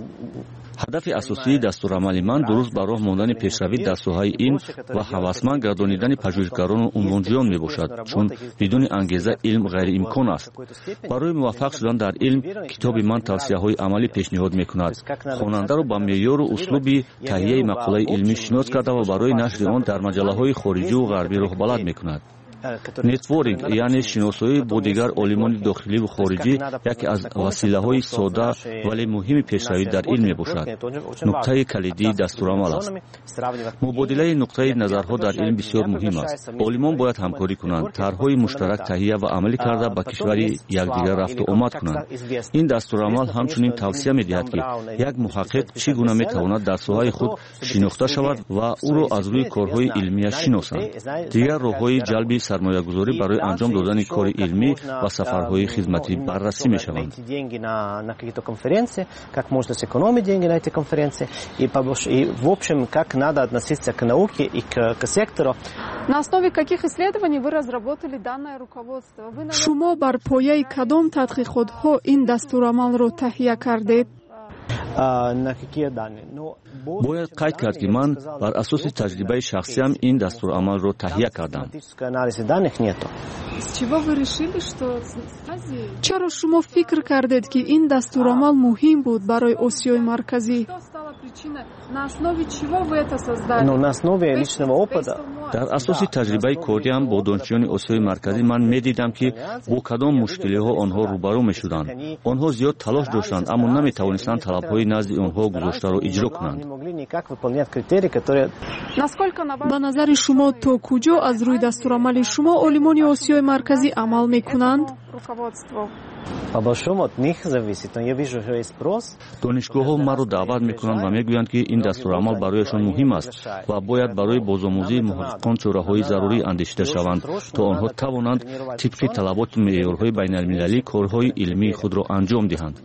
Ҳадафи асосии дастурамали ман дуруст ба роҳ мондани пешравӣ дар соҳаи илм ва ҳавасманд гардонидани пажӯҳишгарону унвонҷӯён мебошад, чун бидуни ангеза илм ғайриимкон аст. Барои муваффақ шудан дар илм китоби ман тавсияҳои амалӣ пешниҳод мекунад. Хонандаро ба меъёру услуби таҳияи мақолаи илмӣ шинос карда ва барои нашри он дар маҷаллаҳои хориҷиву ғарбӣ роҳбалад мекунад. Нетворинг, яъне шиносоӣ бо дигар олимони дохиливу хориҷӣ, яке аз василаҳои сода, вале муҳими пешравӣ дар илм мебошад. Нуктаи калидии дастурамал аст. Мубодилаи нуқтаи назарҳо дар илм бисёр муҳим аст. Олимон бояд ҳамкорӣ кунанд, тарҳҳои муштарак таҳия ва амалӣ карда, ба кишвари якдигар рафту омад кунанд. Ин дастурамал ҳамчунин тавсия медиҳад, ки як муҳаққиқ чӣ гуна метавонад дар соҳаи худ шинохта шавад ва ӯро аз рӯи корҳои илмияш шиносанд. Дигар роҳҳои ҷалби сармоягузорӣ барои анҷом додани кори илмӣ ва сафарҳои хизматӣ баррасӣ мешаванд. Как можно сэкономить деньги на эти конференции и, и в общем, как надо относиться к науке и к, к сектору. На основе каких исследований вы разработали данное руководство? Вы... Шумо бар пояи кадом тадқиқотҳо ин дастурамалро таҳия кардед? Бояд қайд кард, ки ман бар асоси таҷрибаи шахсиам ин дастурамалро таҳия кардам. Чаро шумо фикр кардед, ки ин дастурамал муҳим буд барои Осиёи Марказӣ? Дар асоси таҷрибаи кориам бо донишҷӯёни Осиёи Марказӣ ман медидам, ки бо кадом мушкилиҳо онҳо рӯбарӯ мешуданд. Онҳо зиёд талош доштанд, аммо наметавонистанд талабҳои назди онҳо гузоштаро иҷро кунанд. Ба назари шумо, то куҷо аз рӯи дастурамали шумо олимони Осиёи Марказӣ амал мекунанд? Донишгоҳҳо маро даъват мекунанд ва мегӯянд, ки ин дастурамал барояшон муҳим аст ва бояд барои бозомӯзии муҳаққиқон чораҳои зарурӣ андешида шаванд, то онҳо тавонанд тибқи талаботу меъёрҳои байналмилалӣ корҳои илмии худро анҷом диҳанд.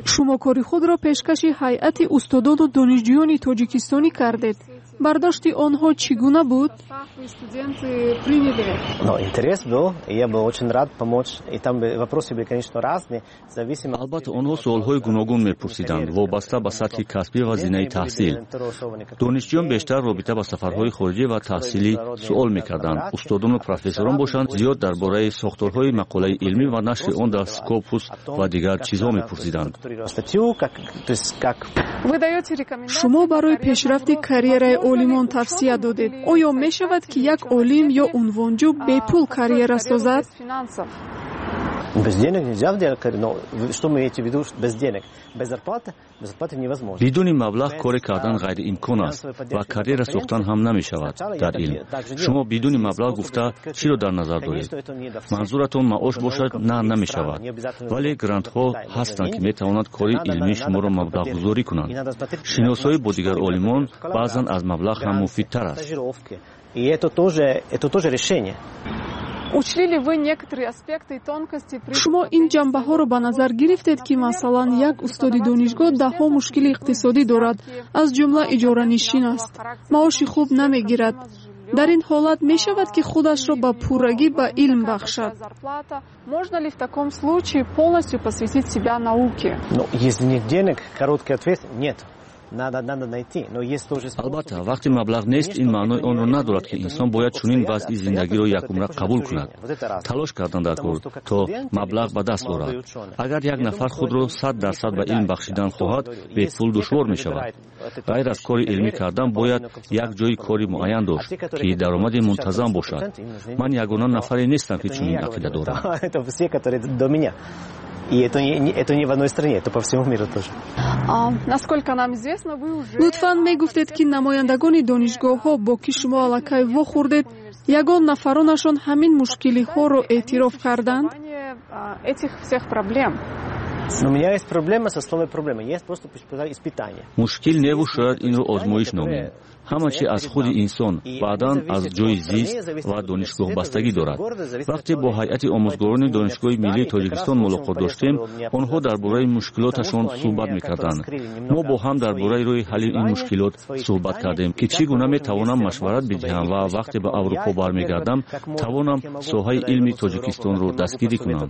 Шумо кори худро пешкаши ҳайати устодону донишҷӯёни тоҷикистонӣ кардед. Бардошти онҳо чӣ гуна буд? Албатта, онҳо суолҳои гуногун мепурсиданд, вобаста ба сатҳи касбӣ ва зинаи таҳсил. Донишҷӯён бештар робита ба сафарҳои хориҷӣ ва таҳсилӣ суол мекарданд. Устодону профессорон бошанд, зиёд дар бораи сохторҳои мақолаи илмӣ ва нашри он дар Скопус ва дигар чизҳо мепурсиданд. Шумо барои пешрафти карьераи олимон тавсия додед. Оё мешавад, ки як олим ё унвонҷӯ бепул карьера созад? Без денег нельзя делать карьеру, но что мы имеете в виду без денег? Без зарплаты? Без зарплаты невозможно. Бидуни маблағ коре кардан ғайриимкон аст ва карьера сохтан ҳам намешавад дар илм. Шумо бидуни маблағ гуфта чиро дар назар доред? Манзуратон маош бошад, на, намешавад. Вале грантҳо ҳастанд, ки метавонанд кори илмии шуморо маблағгузорӣ кунанд. Шиносоӣ бо дигар олимон баъзан аз маблағ ҳам муфидтар аст. И это тоже, это тоже решение. Шумо ин ҷанбаҳоро ба назар гирифтед, ки масалан як устоди донишгоҳ даҳҳо мушкили иқтисодӣ дорад, аз ҷумла иҷоранишин аст, маоши хуб намегирад. Дар ин ҳолат мешавад, ки худашро ба пуррагӣ ба илм бахшад? Можно ли в таком случае полностью посвятить себя науке? Ну, если нет денег, короткий ответ – нет. Надо, надо найти. Но есть тоже Албатта, вақте маблағ нест, ин маънои онро надорад, ки инсон бояд чунин вазъи зиндагиро якумра қабул кунад. Талош кардан дар кор, то маблағ ба даст орад. Агар як нафар худро сад дарсад ба илм бахшидан хоҳад, бепул душвор мешавад. Ғайр аз кори илмӣ кардан, бояд як ҷои кори муайян дошт, ки даромади мунтазам бошад. Ман ягона нафаре нестам, ки чунин ақида дорам. И это не, это не в одной стране, это по всему миру тоже. Насколько нам известно, вы уже... Лутфан мегуфтед, ки намояндагони донишгоҳҳо, бо ки шумо аллакай вохӯрдед, ягон нафаронашон ҳамин мушкилиҳоро эътироф карданд? Этих всех проблем. Но у меня есть проблема со словом проблема. Есть просто испытание. Мушкил неву шояд инро озмоиш номем. Ҳама чи аз худи инсон, баъдан аз ҷои зист ва донишгоҳ бастагӣ дорад. Вақте бо ҳайати омӯзгорони Донишгоҳи миллии Тоҷикистон мулоқот доштем, онҳо дар бораи мушкилоташон суҳбат мекарданд. Мо бо ҳам дар бораи роҳи ҳалли ин мушкилот суҳбат кардем, ки чӣ гуна метавонам машварат бидиҳам ва вақте ба Аврупо бармегардам, тавонам соҳаи илми Тоҷикистонро дастгирӣ кунам.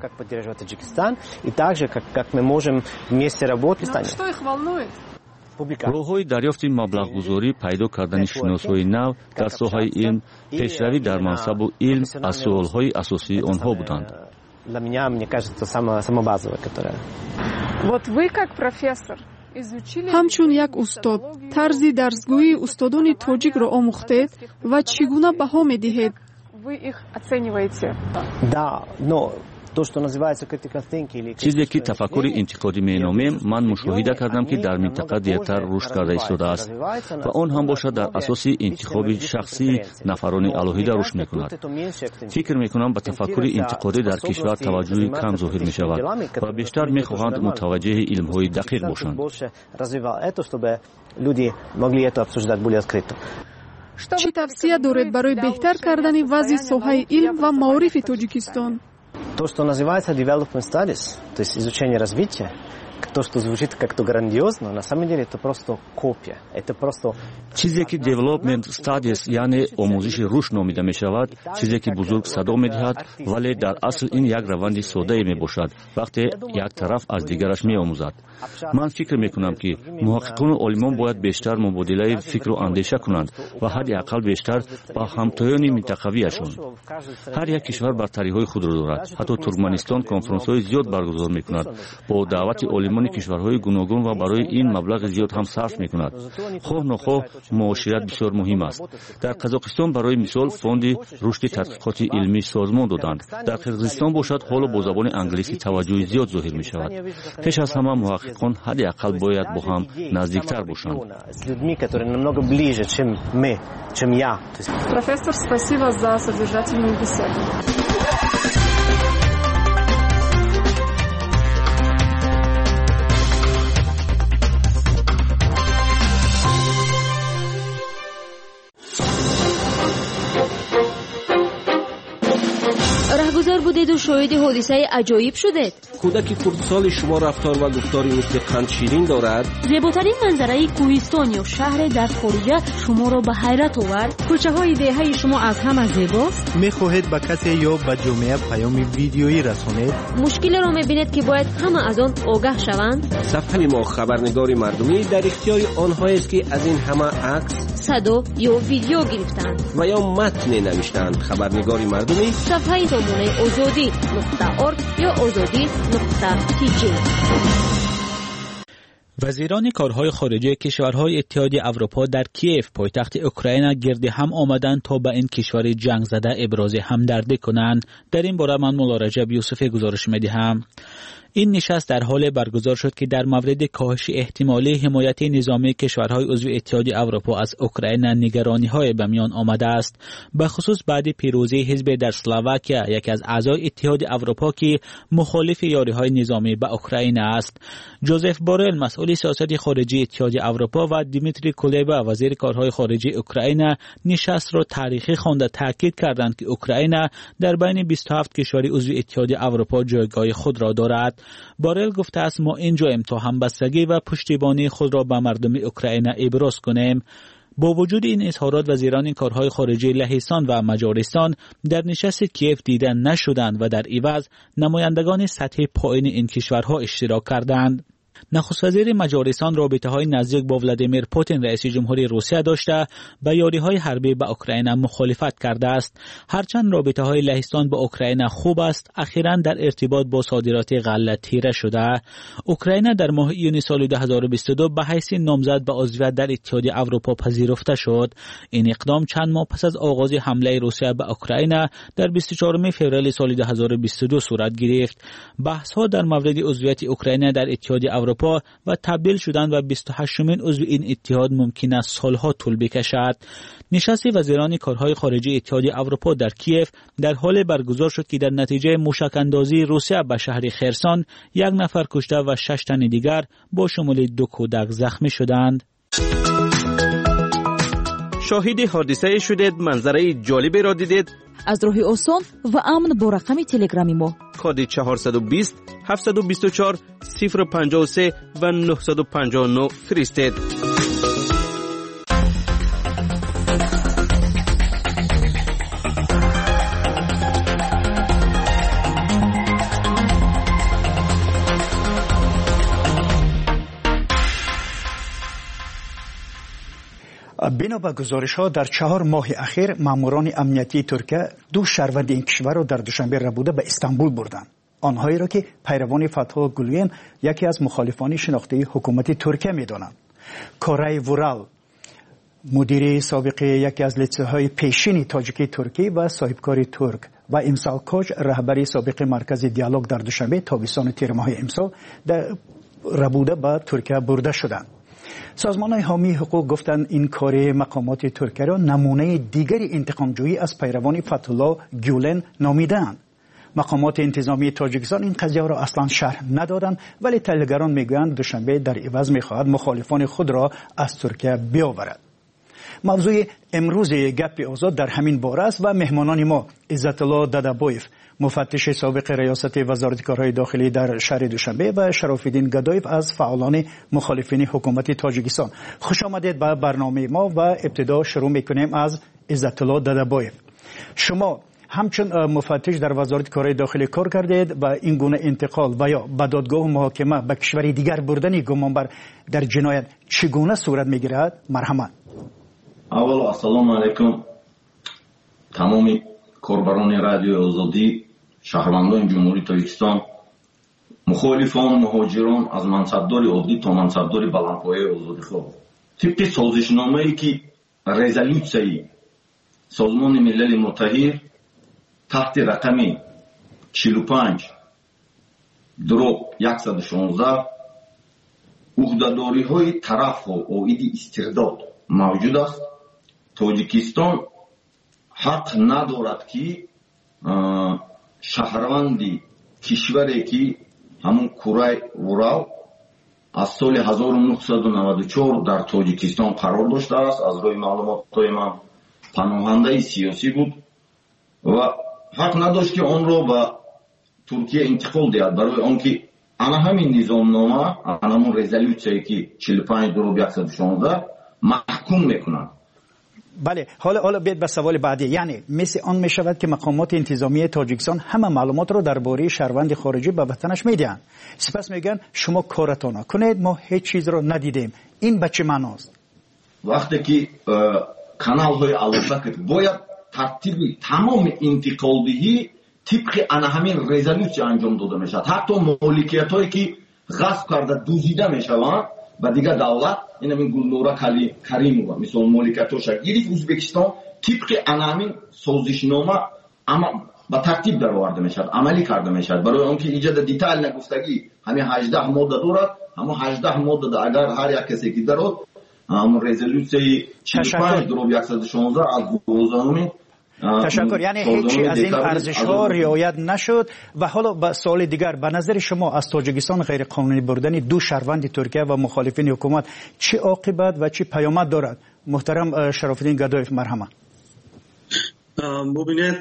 Что их волнует? Роҳҳои дарёфти маблағгузорӣ, пайдо кардани шиносҳои нав дар соҳаи илм, пешравӣ дар мансабу илм аз суолҳои асосии онҳо буданд. Для меня, мне кажется, самое, самое базовое, которое. Вот вы как профессор, Ҳамчун як устод, тарзи дарсгӯии устодони тоҷикро омӯхтед ва чӣ гуна баҳо медиҳед? Чизе ки тафаккури интиқодӣ меномем, ман мушоҳида кардам, ки дар минтақа дертар рушд карда истодааст ва он ҳам бошад дар асоси интихоби шахсии нафарони алоҳида рушд мекунад. Фикр мекунам, ба тафаккури интиқодӣ дар кишвар таваҷҷӯҳи кам зоҳир мешавад ва бештар мехоҳанд мутаваҷҷеҳи илмҳои дақиқ бошанд. Чӣ тавсия доред барои беҳтар кардани вазъи соҳаи илм ва маорифи Тоҷикистон? То, что называется development studies, то есть изучение развития, то, что звучит как-то грандиозно, на самом деле это просто копия. Это просто... Чизе ки development studies, яъне омӯзиши рушд номида мешавад, чизе ки бузург садо медиҳад, вале дар асл ин як раванди соддае мебошад, вақте як тараф аз дигараш меомӯзад. Ман фикр мекунам, ки муҳаққиқону олимон бояд бештар мубодилаи фикру андеша кунанд ва ҳадди ақал бештар ба ҳамтоёни минтақавиашон. Ҳар як кишвар бартариҳои худро дорад. Ҳатто Туркманистон конфронсҳои зиёд баргузор мекунад бо даъвати олимони кишварҳои гуногун ва барои ин маблағи зиёд ҳам сарф мекунад. Хоҳ нохоҳ муошират бисёр муҳим аст. Дар Қазоқистон барои мисол фонди рушди тадқиқоти илмӣ созмон доданд. Дар Қирғизистон бошад ҳоло бо забони англисӣ таваҷҷӯҳи зиёд зоҳир мешавад. Пеш аз ҳама муҳаққиқон ҳадди ақал бояд бо ҳам наздиктар бошанд. Профессор, спасибо за содержательную беседу. Раҳгузар будеду шоҳиди ҳодисаи аҷоиб шудед? Кӯдаки хурдсоли шумо рафтор ва гуфтори мисли қандширин дорад? Зеботарин манзараи кӯҳистон ё шаҳре дар хориҷа шуморо ба ҳайрат овард? Кӯчаҳои деҳаи шумо аз ҳама зебост? Мехоҳед ба касе ё ба ҷомеа паёми видеоӣ расонед? Мушкилеро мебинед, ки бояд ҳама аз он огаҳ шаванд? Сафҳаи мо хабарнигори мардумӣ дар ихтиёри онҳоест, ки аз ин ҳама акс, садо ё видео гирифтаанд ва ё матне навиштаанд. Хабарнигори мардумӣ сафҳаи сомонаи озодӣ нуқта орг ё озодӣ нуқта тиҷи. Вазирони корҳои хориҷии кишварҳои Иттиҳоди Аврупо дар Киев, пойтахти Украина, гирди ҳам омаданд то ба ин кишвари ҷангзада ибрози ҳамдардӣ кунанд. Дар ин бора ман Мулло Раҷаб Юсуфӣ гузориш медиҳам. Ин нишаст дар ҳоле баргузор шуд, ки дар мавриди коҳиши эҳтимолии ҳимояти низомии кишварҳои узви Иттиҳоди Аврупо аз Украина нигарониҳое ба миён омадааст. Ба хусус баъди пирӯзии ҳизбе дар Словакия, яке аз аъзои Иттиҳоди Аврупо, ки мухолифи ёриҳои низомӣ ба Украина аст. Ҷозеф Борел, масъули сиёсати хориҷии Иттиҳоди Аврупо, ва Дмитрий Кулеба, вазири корҳои хориҷии Украина, нишастро таърихӣ хонда таъкид карданд, ки Украина дар байни бисту ҳафт кишвари узви Иттиҳоди Аврупо ҷойгоҳи худро дорад. Борел гуфтааст, мо инҷоем то ҳамбастагӣ ва пуштибонии худро ба мардуми Украина иброз кунем. Бо вуҷуди ин изҳорот, вазирони корҳои хориҷии Лаҳистон ва Маҷористон дар нишасти Киев дида нашуданд ва дар иваз намояндагони сатҳи поини ин кишварҳо иштирок карданд. Нахуствазири Маҷористон робитаҳои наздик бо Владимир Путин, раиси ҷумҳури Русия, дошта ба ёриҳои ҳарбӣ ба Украина мухолифат кардааст. Ҳарчанд робитаҳои Лаҳистон бо Украина хуб аст, ахиран дар иртибот бо содироти ғалла тира шуда. Украина дар моҳи июни соли ду ҳазору бисту ду ба ҳайси номзад ба узвият дар Иттиҳоди Аврупо пазируфта шуд. Ин иқдом чанд моҳ пас аз оғози ҳамлаи Русия ба Украина дар бисту чаҳоруми феврали соли ду ҳазору бисту ду сурат гирифт. Баҳсҳо дар мавриди узвияти Украина дар Иттиҳоди Аврупо ва табдил шудан ба бисту ҳаштумин узви ин иттиҳод мумкин аст солҳо тӯл бикашад. Нишасти вазирони корҳои хориҷии Иттиҳоди Аврупо дар Киев дар ҳоле баргузор шуд, ки дар натиҷаи мушакандозии Русия ба шаҳри Херсон як нафар кушта ва шаш тани дигар бо шумули ду кӯдак захмӣ шуданд. Шоҳиди ҳодисае шудед, манзараи ҷолиберо дидед? Аз роҳи осон ва амн бо рақами телеграми мо коди чорсаду бист, ҳафтсаду бисту чор, сифр панҷоҳу се ва нӯҳсаду панҷоҳу нӯҳ фиристед. Бино ба гузоришҳо, дар чаҳор моҳи ахир маъмурони амниятии Туркия ду шаҳрванди ин кишварро дар Душанбе рабуда ба Истанбул бурданд. Онҳоеро ки пайравони Фатҳуллоҳ Гулен, яке аз мухолифони шинохтаи ҳукумати Туркия, медонанд. Корай Вурал, мудири собиқи яке аз литсейҳои пешини тоҷикии туркӣ ва соҳибкори турк, ва Имсол Коч, раҳбари собиқи маркази диалог дар Душанбе, тобистони тирмоҳи имсол рабуда ба Туркия бурда шуданд. Созмонҳои ҳомии ҳуқуқ гуфтанд, ин кори мақомоти Туркияро намунаи дигари интиқомҷӯӣ аз пайравони Фатҳуллоҳ Гюлен номидаанд. Мақомоти интизомии Тоҷикистон ин қазияро аслан шарҳ надоданд, вале таҳлилгарон мегӯянд, Душанбе дар иваз мехоҳад мухолифони худро аз Туркия биёварад. Мавзӯи имрӯзи Гапи Озод дар ҳамин бора аст ва меҳмонони мо Иззатулло Дадабоев, муфаттиши собиқи риёсати Вазорати корҳои дохилӣ дар шаҳри Душанбе, ва Шарофиддин Гадоев аз фаъолони мухолифини ҳукумати Тоҷикистон. Хуш омадед ба барномаи мо ва ибтидо шурӯъ мекунем аз Иззатулло Дадабоев. Шумо ҳамчун муфаттиш дар Вазорати корҳои дохилӣ кор кардед ва ин гуна интиқол ва ё ба додгоҳу муҳокима ба кишвари дигар бурдани гумонбар дар ҷиноят чӣ гуна сурат мегирад? Марҳамат. Аввало, ассалому алайкум тамоми корбарони Радиои Озодӣ, шаҳрвандони Ҷумҳурии Тоҷикистон, мухолифон, муҳоҷирон, аз мансабдори оддӣ то мансабдори баландпояи озодихоҳ. Тибқи созишномае ки резолютсияи Созмони Милали Муттаҳид таҳти рақами чилу панҷ дроп яксаду шонздаҳ уҳдадориҳои тарафҳо оиди истирдод мавҷуд аст, Тоҷикистон ҳақ надорад, ки шаҳрванди кишваре ки ҳамун Курай Вурал аз соли ҳазору нӯҳсаду наваду чор дар Тоҷикистон қарор доштааст, аз рӯи маълумотҳои ман паноҳандаи сиёсӣ буд ва ҳақ надошт, ки онро ба Туркия интиқол диҳад, барои он ки ана ҳамин низомнома, ана ҳамун резолютсияе ки чилу панҷ дроп яксаду шонздаҳ маҳкум мекунад. Бале, ҳоло ҳоло биёед ба саволи баъдӣ. Яъне мисли он мешавад, ки мақомоти интизомии Тоҷикистон ҳама маълумотро дар бораи шаҳрванди хориҷӣ ба ватанаш медиҳанд, сипас мегӯянд, шумо коратонро кунед, мо ҳеҷ чизро надидем. Ин ба чӣ маъност? Вақте ки каналҳои алоқа бояд тартиби тамоми интиқолдиҳӣ тибқи ана ҳамин резолютсия анҷом дода мешавад. Ҳатто моликиятҳое ки ғасб карда дуздида мешаванд ба дигар давлат, ин ҳамин Гулнора Каримова мисол моликиятҳоша гирифт Ӯзбекистон, тибқи ана ҳамин созишнома ба тартиб дароварда мешавад, амалӣ карда мешавад. Барои он ки иҷода детально гуфтагӣ ҳамин ҳаждаҳ модда дорад, ҳамон ҳаждаҳ моддада агар ҳар як касе ки дарод, ҳамон резолютсияи чилу панҷ дроп яксаду шонздаҳ аз дувоздаҳуми. Ташаккур. Яъне ҳеҷ аз ин арзишҳо риоят нашуд. Ва ҳоло ба суоли дигар. Ба назари шумо аз Тоҷикистон ғайриқонунӣ бурдани ду шаҳрванди Туркия ва мухолифини ҳукумат чӣ оқибат ва чӣ паёмад дорад? Муҳтарам Шарофиддин Гадоев, марҳамат. Бубинед,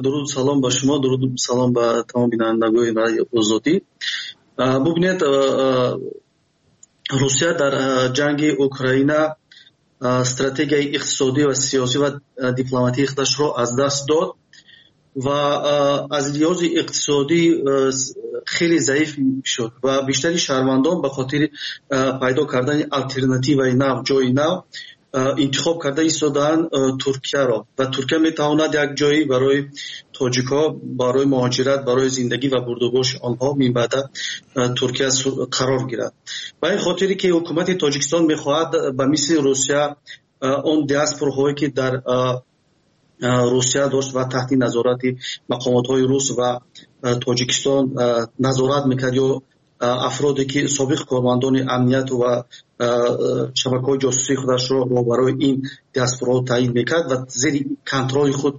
дуруду салом ба шумо, дуруду салом ба тамоми бинандагони Радиои Озодӣ. Бубинед, Русия дар ҷанги Украина стратегияи иқтисодӣ ва сиёсӣ ва дипломатии худашро аз даст дод ва аз лиҳози иқтисодӣ хеле заиф шуд ва бештари шаҳрвандон ба хотири пайдо кардани алтернативаи нав, ҷои нав интихоб карда истодаанд Туркияро ва Туркия метавонад як ҷое барои тоҷикҳо, барои муҳоҷират, барои зиндагӣ ва бурдубоши онҳо минбаъда Туркия қарор гирад. Ба ин хотире ки ҳукумати Тоҷикистон мехоҳад ба мисли Русия он диаспораҳое ки дар Русия дошт ва таҳти назорати мақомотҳои рус ва Тоҷикистон назорат мекард ё афроде ки собиқ кормандони амният ва шабакаҳои ҷосусии худашро барои ин диаспораҳо таъйин мекард ва зери контроли худ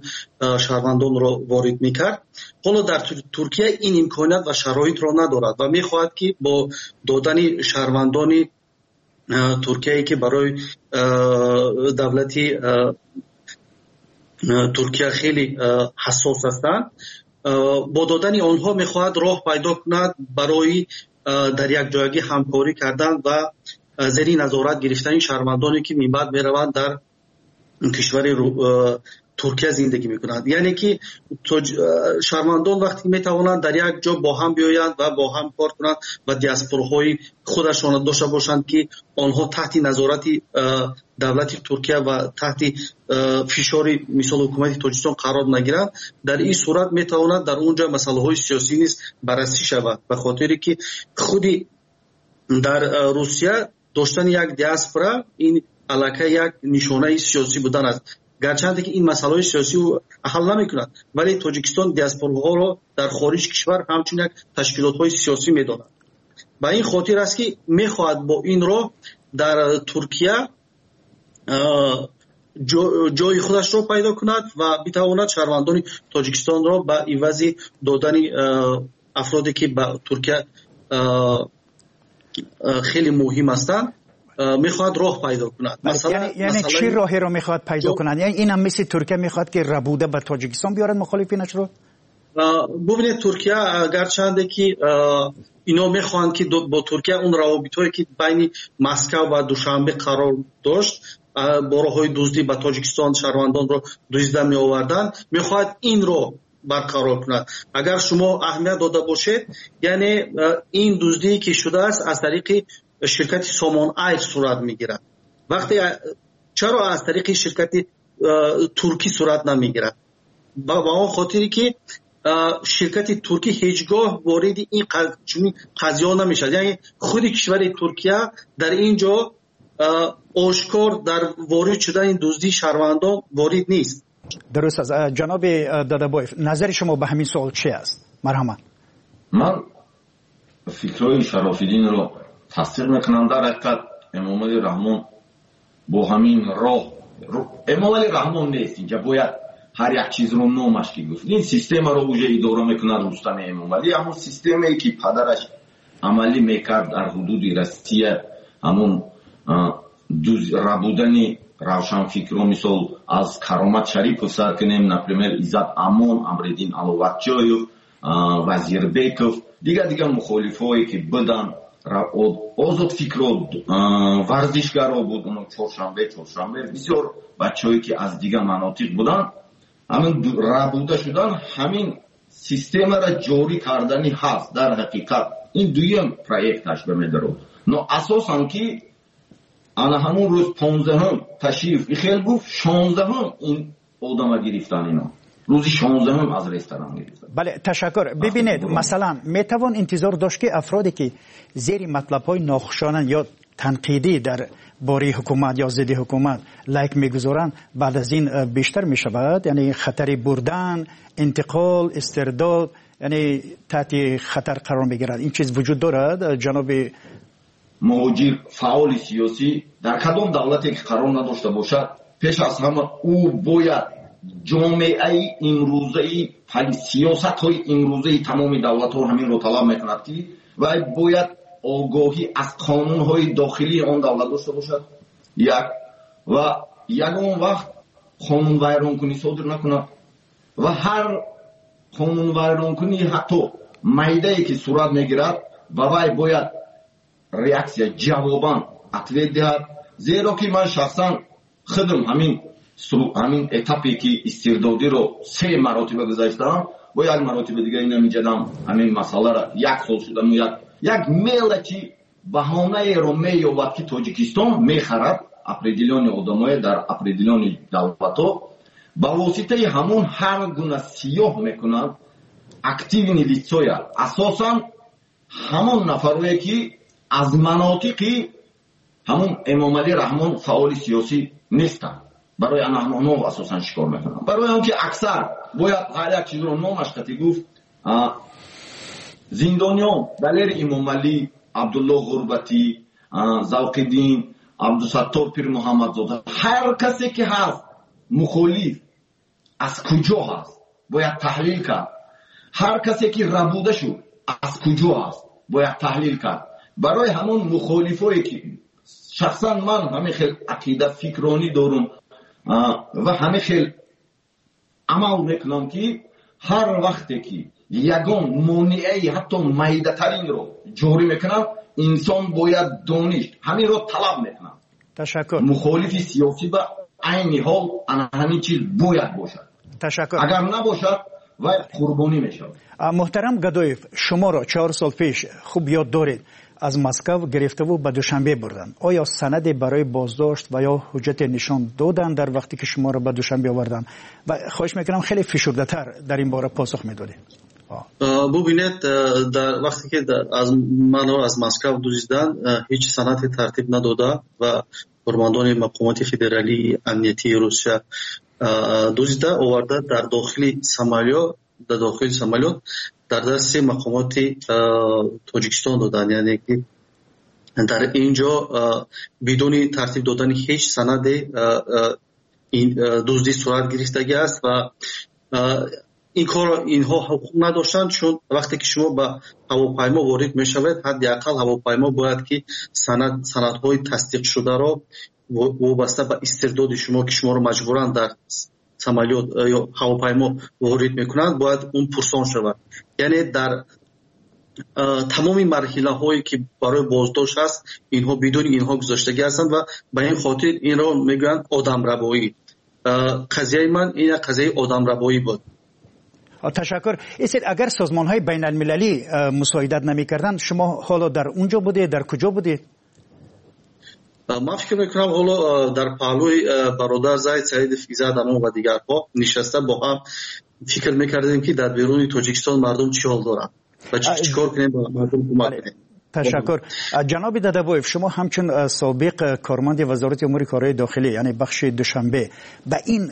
шаҳрвандонро ворид мекард. Ҳоло дар Туркия ин имконият ва шароитро надорад ва мехоҳад ки бо додани шаҳрвандони Туркияе ки барои давлати Туркия хеле ҳассос ҳастанд, бо додани онҳо мехоҳад роҳ пайдо кунад барои дар якҷоягӣ ҳамкорӣ кардан ва зери назорат гирифтани шаҳрвандоне ки минбаъд мераванд дар кишвари Туркия зиндагӣ мекунанд. Яъне ки шаҳрвандон вақте метавонанд дар як ҷо бо ҳам биёянд ва бо ҳам кор кунанд ва диаспораҳои худашонро дошта бошанд, ки онҳо таҳти назорати давлати Туркия ва таҳти фишори мисол ҳукумати Тоҷикистон қарор нагиранд, дар ин сурат метавонад дар он ҷо масъалаҳои сиёсӣ низ баррасӣ шавад, ба хотире ки худи дар Русия доштани як диаспора ин аллакай як нишонаи сиёсӣ будан аст. Гарчанде ки ин масъалаҳои сиёсӣ ҳал намекунад, вале Тоҷикистон диаспораҳоро дар хориҷи кишвар ҳамчун як ташкилотҳои сиёсӣ медонад. Ба ин хотир аст ки мехоҳад бо ин роҳ дар Туркия ҷои худашро пайдо кунад ва битавонад шаҳрвандони Тоҷикистонро ба ивази додани афроде ки ба Туркия хеле муҳим ҳастанд, мехоҳад роҳ пайдо кунад. Яъне чӣ роҳеро мехоҳад пайдо кунад? Яъне инам мисли Туркия мехоҳад ки рабуда ба Тоҷикистон биёрад мухолифинашро? Бубинед, Туркия гарчанде ки ино мехоҳанд ки бо Туркия он равобитҳое ки байни Москва ва Душанбе қарор дошт, бо роҳҳои дуздӣ ба Тоҷикистон шаҳрвандонро дуздида меоварданд, мехоҳад инро барқарор кунад. Агар шумо аҳамият дода бошед, яъне ин дуздие ки шудааст аз тариқи ширкати Сомон Айр сурат мегирад. Вақте чаро аз тариқи ширкати туркӣ сурат намегирад? Ба он хотире ки ширкати туркӣ ҳеҷгоҳ вориди ин чунин қазияҳо намешавад. Яъне худи кишвари Туркия дар ин ҷо ошкор дар ворид шудани дуздии шаҳрвандон ворид нест. Дуруст аст. Ҷаноби Додабоев, назари шумо ба ҳамин суол чи аст? Марҳамат. Ман фикрҳои Шарофиддинро тасдиқ мекунам. Дар ҳақиқат Эмомалӣ Раҳмон бо ҳамин роҳ, Эмомалӣ Раҳмон нест инҷа, бояд ҳар як чизро номаш ки гуфт. Ин системаро уже идора мекунад Рустами Эмомалӣ, ҳамон системае ки падараш амалӣ мекард дар ҳудуди Россия, ҳамон рабудани равшанфикро, мисол аз Каромат Шарипов сар кунем, например Иззат Амон, Амриддин Аловатчоев, Вазирбеков, дигар дигар мухолифҳое ки буданд, озодфикро, варзишгаро буд, оно чоршанбе чоршанбе бисёр бачаҳое ки аз дигар манотиқ буданд, ҳамин рабуда шудан, ҳамин системаро ҷорӣ кардани ҳаст. Дар ҳақиқат ин дуюм проекташ ба медарод. Но асосан ки ана ҳамун рӯз понздаҳум Ташиев ихел гуфт, шонздаҳум ин одама гирифтан, ино рӯзи шонздаҳум аз ресторан гирифтан. Бале, ташаккур. Бибинед, масалан метавон интизор дошт ки афроде ки зери матлабҳои нохушонанд ё танқидӣ дар бораи ҳукумат ё зидди ҳукумат лайк мегузоранд, баъд аз ин бештар мешавад, яъне хатари бурдан, интиқол, истирдод, яъне таҳти хатар қарор мегирад. Ин чиз вуҷуд дорад, ҷаноби муҳоҷир фаъоли сиёсӣ дар кадом давлате ки қарор надошта бошад, пеш аз ҳама ӯ бояд ҷомеаи имрӯзаи сиёсатҳои имрӯзаи тамоми давлатҳо ҳаминро талаб мекунад ки вай бояд огоҳӣ аз қонунҳои дохилии он давлат дошта бошад, як, ва ягон вақт қонунвайронкунӣ содир накунад ва ҳар қонунвайронкунӣ ҳатто майдае ки сурат мегирад ба вай бояд реаксия, ҷавобан ответ диҳад. Зеро ки ман шахсан худам ҳамин ҳамин этапе ки истирдодиро се маротиба гузаштаам, бо як маротиба дига инам инҷадам ҳамин масъаларо як сол шудам, як як мелочи баҳонаеро меёбад ки Тоҷикистон мехарад определённые одамое дар определённые давлатҳо, ба воситаи ҳамон ҳар гуна сиёҳ мекунанд активни лицоя, асосан ҳамон нафарое ки аз манотиқи ҳамон Эмомалӣ Раҳмон фаъоли сиёсӣ нестанд. Барои ана ҳамонҳо асосан шикор мекунанд. Барои он ки аксар бояд ҳар як чизро номаш қатӣ гуфт, зиндониён Далер Имомалӣ, Абдулло Ғурбатӣ, Завқиддин, Абдусаттор Пирмуҳаммадзода, ҳар касе ки ҳаст мухолиф аз куҷо ҳаст бояд таҳлил кард. Ҳар касе ки рабуда шуд аз куҷо ҳаст бояд таҳлил кард. Барои ҳамон мухолифое ки шахсан ман ҳамин хел ақида фикронӣ дорум ва ҳамин хел амал мекунам ки ҳар вақте ки ягон монеаи ҳатто майдатаринро ҷорӣ мекунам, инсон бояд дониш ҳаминро талаб мекунам. Ташаккур. Мухолифи сиёсӣ ба Айни ҳол ана ҳамин чиз бояд бошад. Ташаккур. Агар набошад, вай қурбонӣ мешавад. Муҳтарам Гадоев, шуморо чор сол пеш хуб ёд доред, аз Москва гирифтаву ба Душанбе бурданд. Оё санаде барои боздошт ва ё ҳуҷҷате нишон доданд дар вақте ки шуморо ба Душанбе оварданд? Ва хоҳиш мекунам хеле фишурдатар дар ин бора посух медодед. Бубинед, дар вақте ки аз манро аз Москва дуздиданд, ҳеҷ санаде тартиб надода ва кормандони мақомоти федералии амниятии Русия дуздида оварда дар дохили самолёт, дар дохили самолёт дар дасти мақомоти Тоҷикистон доданд. Яъне ки дар ин ҷо бидуни тартиб додани ҳеҷ санаде дуздӣ сурат гирифтагӣ аст ва ин корро инҳо ҳуқуқ надоштанд, чун вақте ки шумо ба ҳавопаймо ворид мешавед, ҳадди ақал ҳавопаймо бояд ки санад санадҳои тасдиқшударо вобаста ба истирдоди шумо, ки шуморо маҷбуран дар самолёт ё ҳавопаймо ворид мекунанд, бояд он пурсон шавад. Яъне дар тамоми марҳилаҳое ки барои боздошт аст, инҳо бидуни инҳо гузоштагӣ ҳастанд ва ба ин хотир инро мегӯянд одамрабоӣ. Қазияи ман ин як қазияи одамрабоӣ буд. Ташаккур. Истед, агар созмонҳои байналмилалӣ мусоидат намекарданд, шумо ҳоло дар он ҷо будед, дар куҷо будед? Ман фикр мекунам ҳоло дар паҳлӯи бародар Зайд Саидов, Иззат Амон ва дигарҳо нишаста бо ҳам фикр мекардем, ки дар беруни Тоҷикистон мардум чӣ ҳол доранд ва чӣ кор кунем ба мардум кӯмак кунем. Ташаккур. Ҷаноби Дадабоев, шумо ҳамчун собиқ корманди Вазорати умури корҳои дохилӣ, яъне бахши Душанбе, ба ин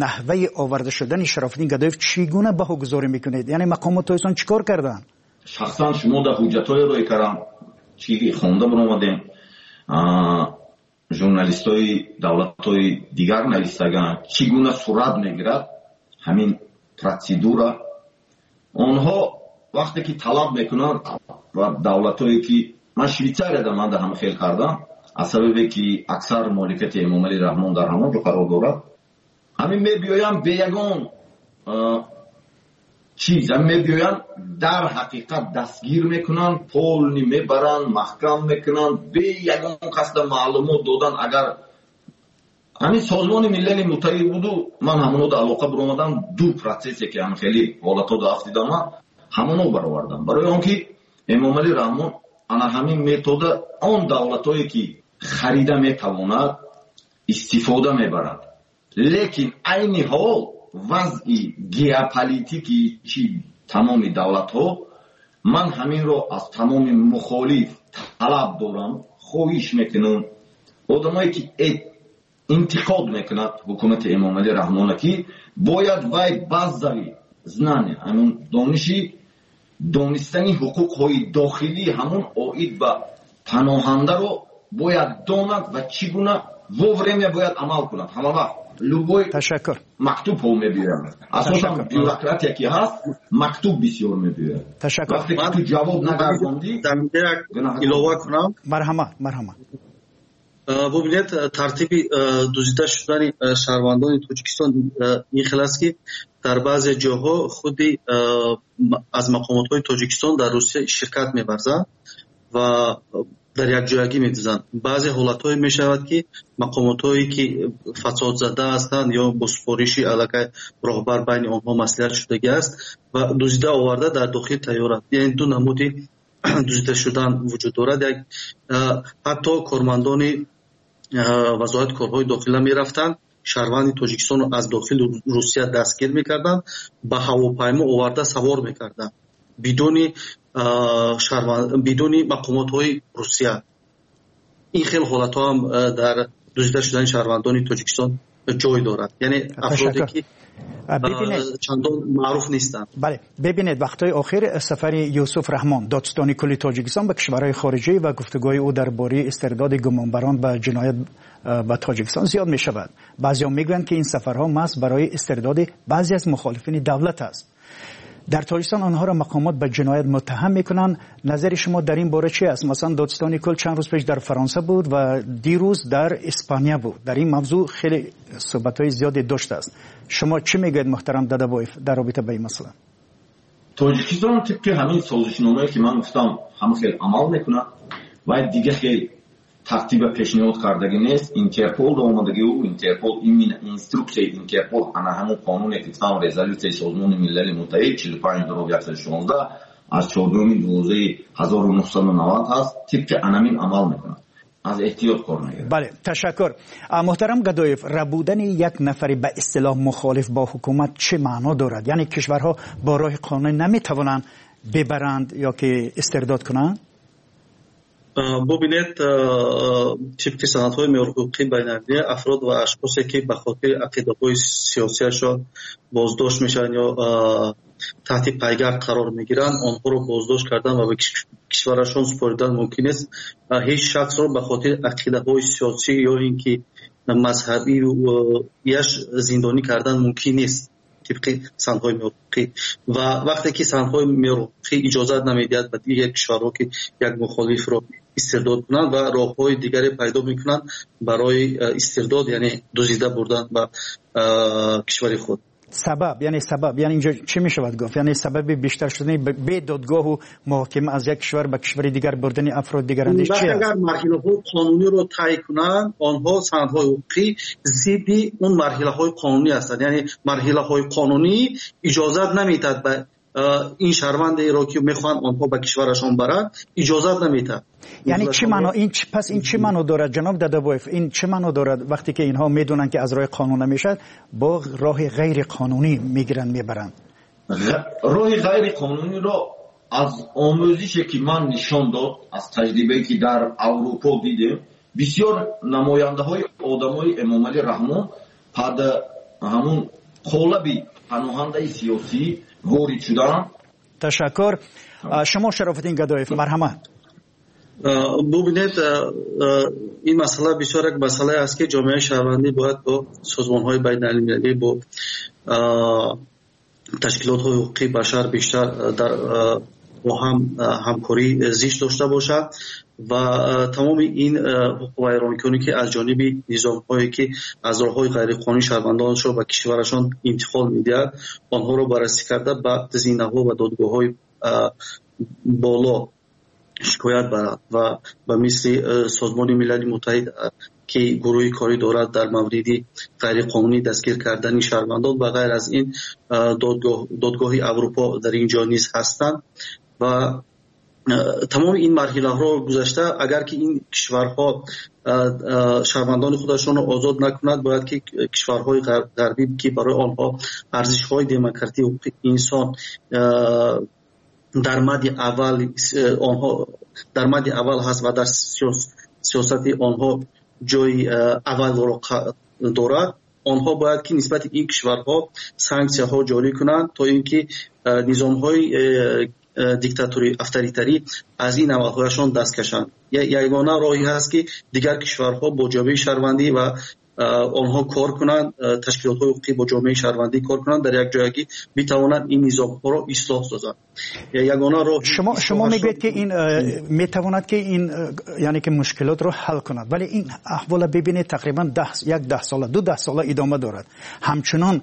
наҳваи оварда шудани Шарофиддин Гадоев чӣ гуна баҳогузорӣ мекунед? Яъне мақомот тоҷикистон чӣ кор карданд? Шахсан шумо дар ҳуҷҷатҳое рӯй кардам, чӣ хонда баромадем, журналистҳои давлатҳои дигар навистаганд, чӣ гуна сурат мегирад ҳамин процедура. Онҳо вақте ки талаб мекунанд ва давлатҳое ки ман Швейтсарияда ман дар ҳам хел кардам, аз сабабе ки аксар моликияти Эмомалӣ Раҳмон дар ҳамон ҷо қарор дорад, ҳамин мебиёянд бе ягон чиз, ҳамин мебиёянд дар ҳақиқат дастгир мекунанд, полни мебаранд, маҳкам мекунанд, бе ягон касда маълумот додан. Агар ҳамин Созмони Милали Муттаҳид буду, ман ҳамонода алоқа баромадам, ду процессе ки ҳам хеле ҳолатҳода афтидам, ман ҳамоно баровардам. Барои он ки Эмомалӣ Раҳмон ана ҳамин метода он давлатҳое ки харида метавонад истифода мебарад. Лекин айни ҳол вазъи геополитики чи тамоми давлатҳо, ман ҳаминро аз тамоми мухолиф талаб дорам, хоҳиш мекунам одамое ки интиқод мекунад ҳукумати Эмомалӣ Раҳмона, ки бояд вай базави знания, ҳамун дониши донистани ҳуқуқҳои дохилӣ ҳамун оид ба паноҳандаро бояд донад ва чӣ гуна вовремя бояд амал кунад. Ҳама вақт любой ташаккур мактубҳо мебиёяд. Асосан бюрократия ки ҳаст, мактуб бисёр мебиёяд. Ташаккур. Вақте ки ту ҷавоб нагардондӣ, як илова кунам. Марҳамат, марҳамат. Бубинед, тартиби дуздида шудани шаҳрвандони Тоҷикистон ин хел аст, ки дар баъзе ҷоҳо худи аз мақомотҳои Тоҷикистон дар Русия ширкат меварзанд ва дар якҷоягӣ медузанд. Баъзе ҳолатҳое мешавад, ки мақомотҳое ки фасодзада ҳастанд ё бо супориши аллакай роҳбар байни онҳо маслиҳат шудагӣ аст ва дуздида оварда дар дохили тайёра. Яъне ду намуди дуздида шудан вуҷуд дорад. Як ҳатто кормандони вазорати корҳои дохила мерафтанд, шаҳрванди Тоҷикистонро аз дохили Русия дастгир мекарданд, ба ҳавопаймо оварда савор мекарданд бидуни бидуни мақомотҳои Русия. Ин хел ҳолатҳо ҳам дар дуздида шудани шаҳрвандони Тоҷикистон ҷой дорад. Яъне афроде ки чандон маъруф нестанд. Бале, бибинед, вақтҳои охир сафари Юсуф Раҳмон, додситони кулли Тоҷикистон, ба кишварҳои хориҷӣ ва гуфтугӯи ӯ дар бораи истирдоди гумонбарон ба ҷиноят ба Тоҷикистон зиёд мешавад. Баъзеҳо мегӯянд, ки ин сафарҳо маҳз барои истирдоди баъзе аз мухолифини давлат аст. Дар Тоҷикистон онҳоро мақомот ба ҷиноят муттаҳам мекунанд. Назари шумо дар ин бора чи аст? Масалан, додситони кул чанд рӯз пеш дар Фаронса буд ва дирӯз дар Испания буд. Дар ин мавзӯъ хеле суҳбатҳои зиёде доштааст. Шумо чӣ мегӯед, муҳтарам Дадабоев, дар робита ба ин масъала? Тоҷикистон тибқи ҳамин созишномае ки ман гуфтам, ҳама хел амал мекунад ва дига хел тартиба пешниҳод кардагӣ нест. Интерпол омадагӣ, ӯ Интерпол именно инструксияи Интерпол ана ҳамун қонуне ки там резолюсияи Созмони Милали Муттаҳид чилу панҷ дуроб яксаду шонздаҳ аз чордуми дувоздаҳи ҳазору нӯҳсаду навад ҳаст, тибқи анамин амал мекунад. Аз эҳтиёт кор мегирад. Бале, ташаккур. Муҳтарам Гадоев, рабудани як нафари ба истилоҳ мухолиф бо ҳукумат чӣ маъно дорад? Яъне кишварҳо бо роҳи қонунӣ наметавонанд бибаранд ё ки истирдод кунанд? Бубинед, тибқи санадҳои меъёрҳуқуқии байналмилалӣ афрод ва ашхосе ки ба хотири ақидаҳои сиёсиашон боздошт мешаванд ё таҳти пайгард қарор мегиранд, онҳоро боздошт кардан ва ба кишварашон супоридан мумкин нест. Ҳеҷ шахсро ба хотири ақидаҳои сиёсӣ ё ин ки мазҳабияш зиндонӣ кардан мумкин нест тибқи санадҳои меъёрҳуқуқӣ. Ва вақте ки санадҳои меъёрҳуқуқӣ иҷозат намедиҳад ба дигар кишварҳо ки як мухолифро истирдод кунанд ва роҳҳои дигаре пайдо мекунанд барои истирдод, яъне дуздида бурдан ба кишвари худ. Сабаб, яъне сабаб, яъне инҷо чӣ мешавад гуфт? Яъне сабаби бештар шудани бедодгоҳу муҳокима аз як кишвар ба кишвари дигар бурдани афрод дигарандеш чи аст? Агар марҳилаҳои қонуниро тай кунанд, онҳо санадҳои ҳуқуқӣ зидди он марҳилаҳои қонунӣ ҳастанд. Яъне марҳилаҳои қонунӣ иҷозат намедиҳад ба ин шаҳрвандеро ки мехоҳанд онҳо ба кишварашон баранд, иҷозат намедиҳад. Яъне чӣ маъно ин пас ин чӣ маъно дорад, ҷаноб Дадабоев? Ин чӣ маъно дорад вақте ки инҳо медонанд ки аз роҳи қонун намешавад, бо роҳи ғайриқонунӣ мегиранд, мебаранд? Роҳи ғайриқонуниро аз омӯзише ки ман нишон дод, аз таҷрибае ки дар Аврупо дидем, бисёр намояндаҳои одамои Эмомалӣ Раҳмон пад ҳамун қолаби паноҳандаи сиёсӣ ворид шуданд. Ташаккур. Шумо Шарофиддин Гадоев, марҳамат. Бубинед, ин масъала бисёр як масъалае аст ки ҷомеаи шаҳрвандӣ бояд бо созмонҳои байналмилалӣ, бо ташкилотҳои ҳуқуқии башар бештар дар бо ҳам ҳамкорӣ зич дошта бошад ва тамоми ин ҳуқуқвайронкунӣ ки аз ҷониби низомҳое ки аз роҳҳои ғайриқонунӣ шаҳрвандонашро ба кишварашон интиқол медиҳад, онҳоро баррасӣ карда ба зинаҳо ва додгоҳҳои боло шикоят барад ва ба мисли Созмони Милали Муттаҳид ки гурӯҳи корӣ дорад дар мавриди ғайриқонунӣ дастгир кардани шаҳрвандон, ба ғайр аз ин додгоҳи Аврупо дар ин ҷо низ ҳастанд ва тамоми ин марҳилаҳоро гузашта, агар ки ин кишварҳо шаҳрвандони худашонро озод накунанд, бояд ки кишварҳои ғарбӣ ки барои онҳо арзишҳои демократӣ, ҳуқуқи инсон дар мадди аввал онҳо дар мадди аввал ҳаст ва дар сиёсати онҳо ҷои аввалро дорад, онҳо бояд ки нисбати ин кишварҳо санксияҳо ҷорӣ кунанд то инки низомҳои диктаторӣ, авторитарӣ аз ин амалҳояшон даст кашанд. Ягона роҳе ҳаст ки дигар кишварҳо бо ҷомеаи шаҳрвандӣ ва онҳо кор кунанд, ташкилотҳои ҳуқуқӣ бо ҷомеаи шаҳрвандӣ кор кунанд, дар як ҷоягӣ битавонанд ин низомҳоро ислоҳ созанд. Ягона роҳ. Шумо шумо мегӯед ки ин метавонад ки ин яъне ки мушкилотро ҳал кунад, вале ин аҳволро бибинед, тақрибан даҳ як даҳ сола, ду даҳ сола идома дорад. Ҳамчунон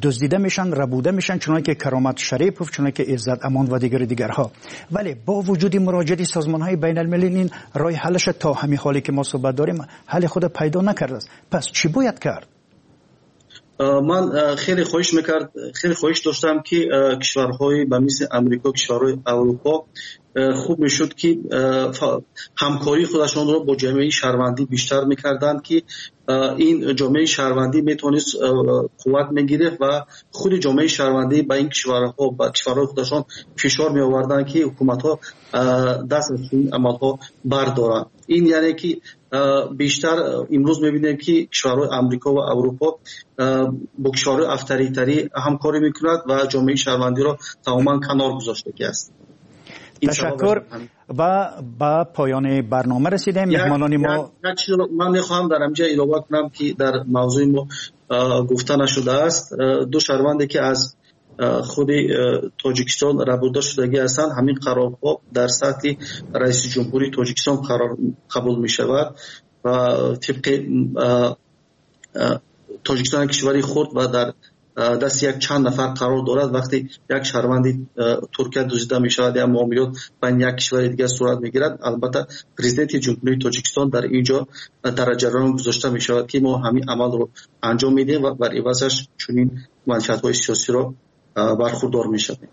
дуздида мешаванд, рабуда мешаванд, чунон ки Каромат Шарипов, чунон ки Иззат Амон ва дигари дигарҳо. Вале бо вуҷуди муроҷиати созмонҳои байналмилалӣ ин роҳи ҳалаш то ҳамин ҳоле ки мо суҳбат дорем ҳали худро пайдо накардааст. Пас чӣ бояд кард? Ман хеле хоҳиш мекард, хеле хоҳиш доштам ки кишварҳои ба мисли Амрико, кишварҳои Аврупо хуб мешуд ки ҳамкории худашонро бо ҷомеаи шаҳрвандӣ бештар мекарданд, ки ин ҷомеаи шаҳрвандӣ метавонист қувват мегирифт ва худи ҷомеаи шаҳрвандӣ ба ин кишварҳо, ба кишварҳои худашон фишор меоварданд ки ҳукуматҳо даст аз ин амалҳо бардоранд. Ин яъне ки бештар имрӯз мебинем ки кишварҳои Амрико ва Аврупо бо кишварҳои авторитарӣ ҳамкорӣ мекунад ва ҷомеаи шаҳрвандиро тамоман канор гузоштагӣ аст. Ташаккур ва ба поёни барнома расидем. Меҳмонони мо, як чиз ман мехоҳам дар инҷо илова кунам ки дар мавзӯи мо гуфта нашудааст. Ду шаҳрванде ки аз худи Тоҷикистон рабуда шудагӣ ҳастанд, ҳамин қарорҳо дар сатҳи раиси ҷумҳурии Тоҷикистон қарор қабул мешавад ва тибқи Тоҷикистон кишвари хурд ва дар дасти як чанд нафар қарор дорад. Вақте як шаҳрванди Туркия дуздида мешавад ё муомилот байни як кишвари дигар сурат мегирад, албатта президенти Ҷумҳурии Тоҷикистон дар ин ҷо дар ҷараён гузошта мешавад, ки мо ҳамин амалро анҷом медиҳем ва бар ивазаш чунин манфиатҳои сиёсиро бархурдор мешавем.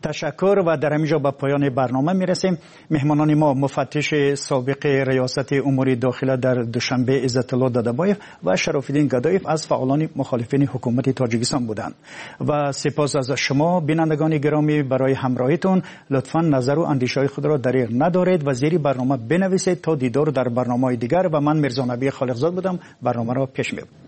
Ташаккур ва дар ҳамин ҷо ба поёни барнома мерасем. Меҳмонони мо муфаттиши собиқи риёсати умури дохила дар Душанбе Иззатулло Дадабоев ва Шарофиддин Гадоев аз фаъолони мухолифини ҳукумати Тоҷикистон буданд. Ва сипос аз шумо бинандагони гиромӣ барои ҳамроҳитон. Лутфан назару андешаҳои худро дариғ надоред ва зери барнома бинависед то дидор дар барномаҳои дигар. Ва ман Мирзонабӣ Холиқзод будам, барномаро пеш мебарам.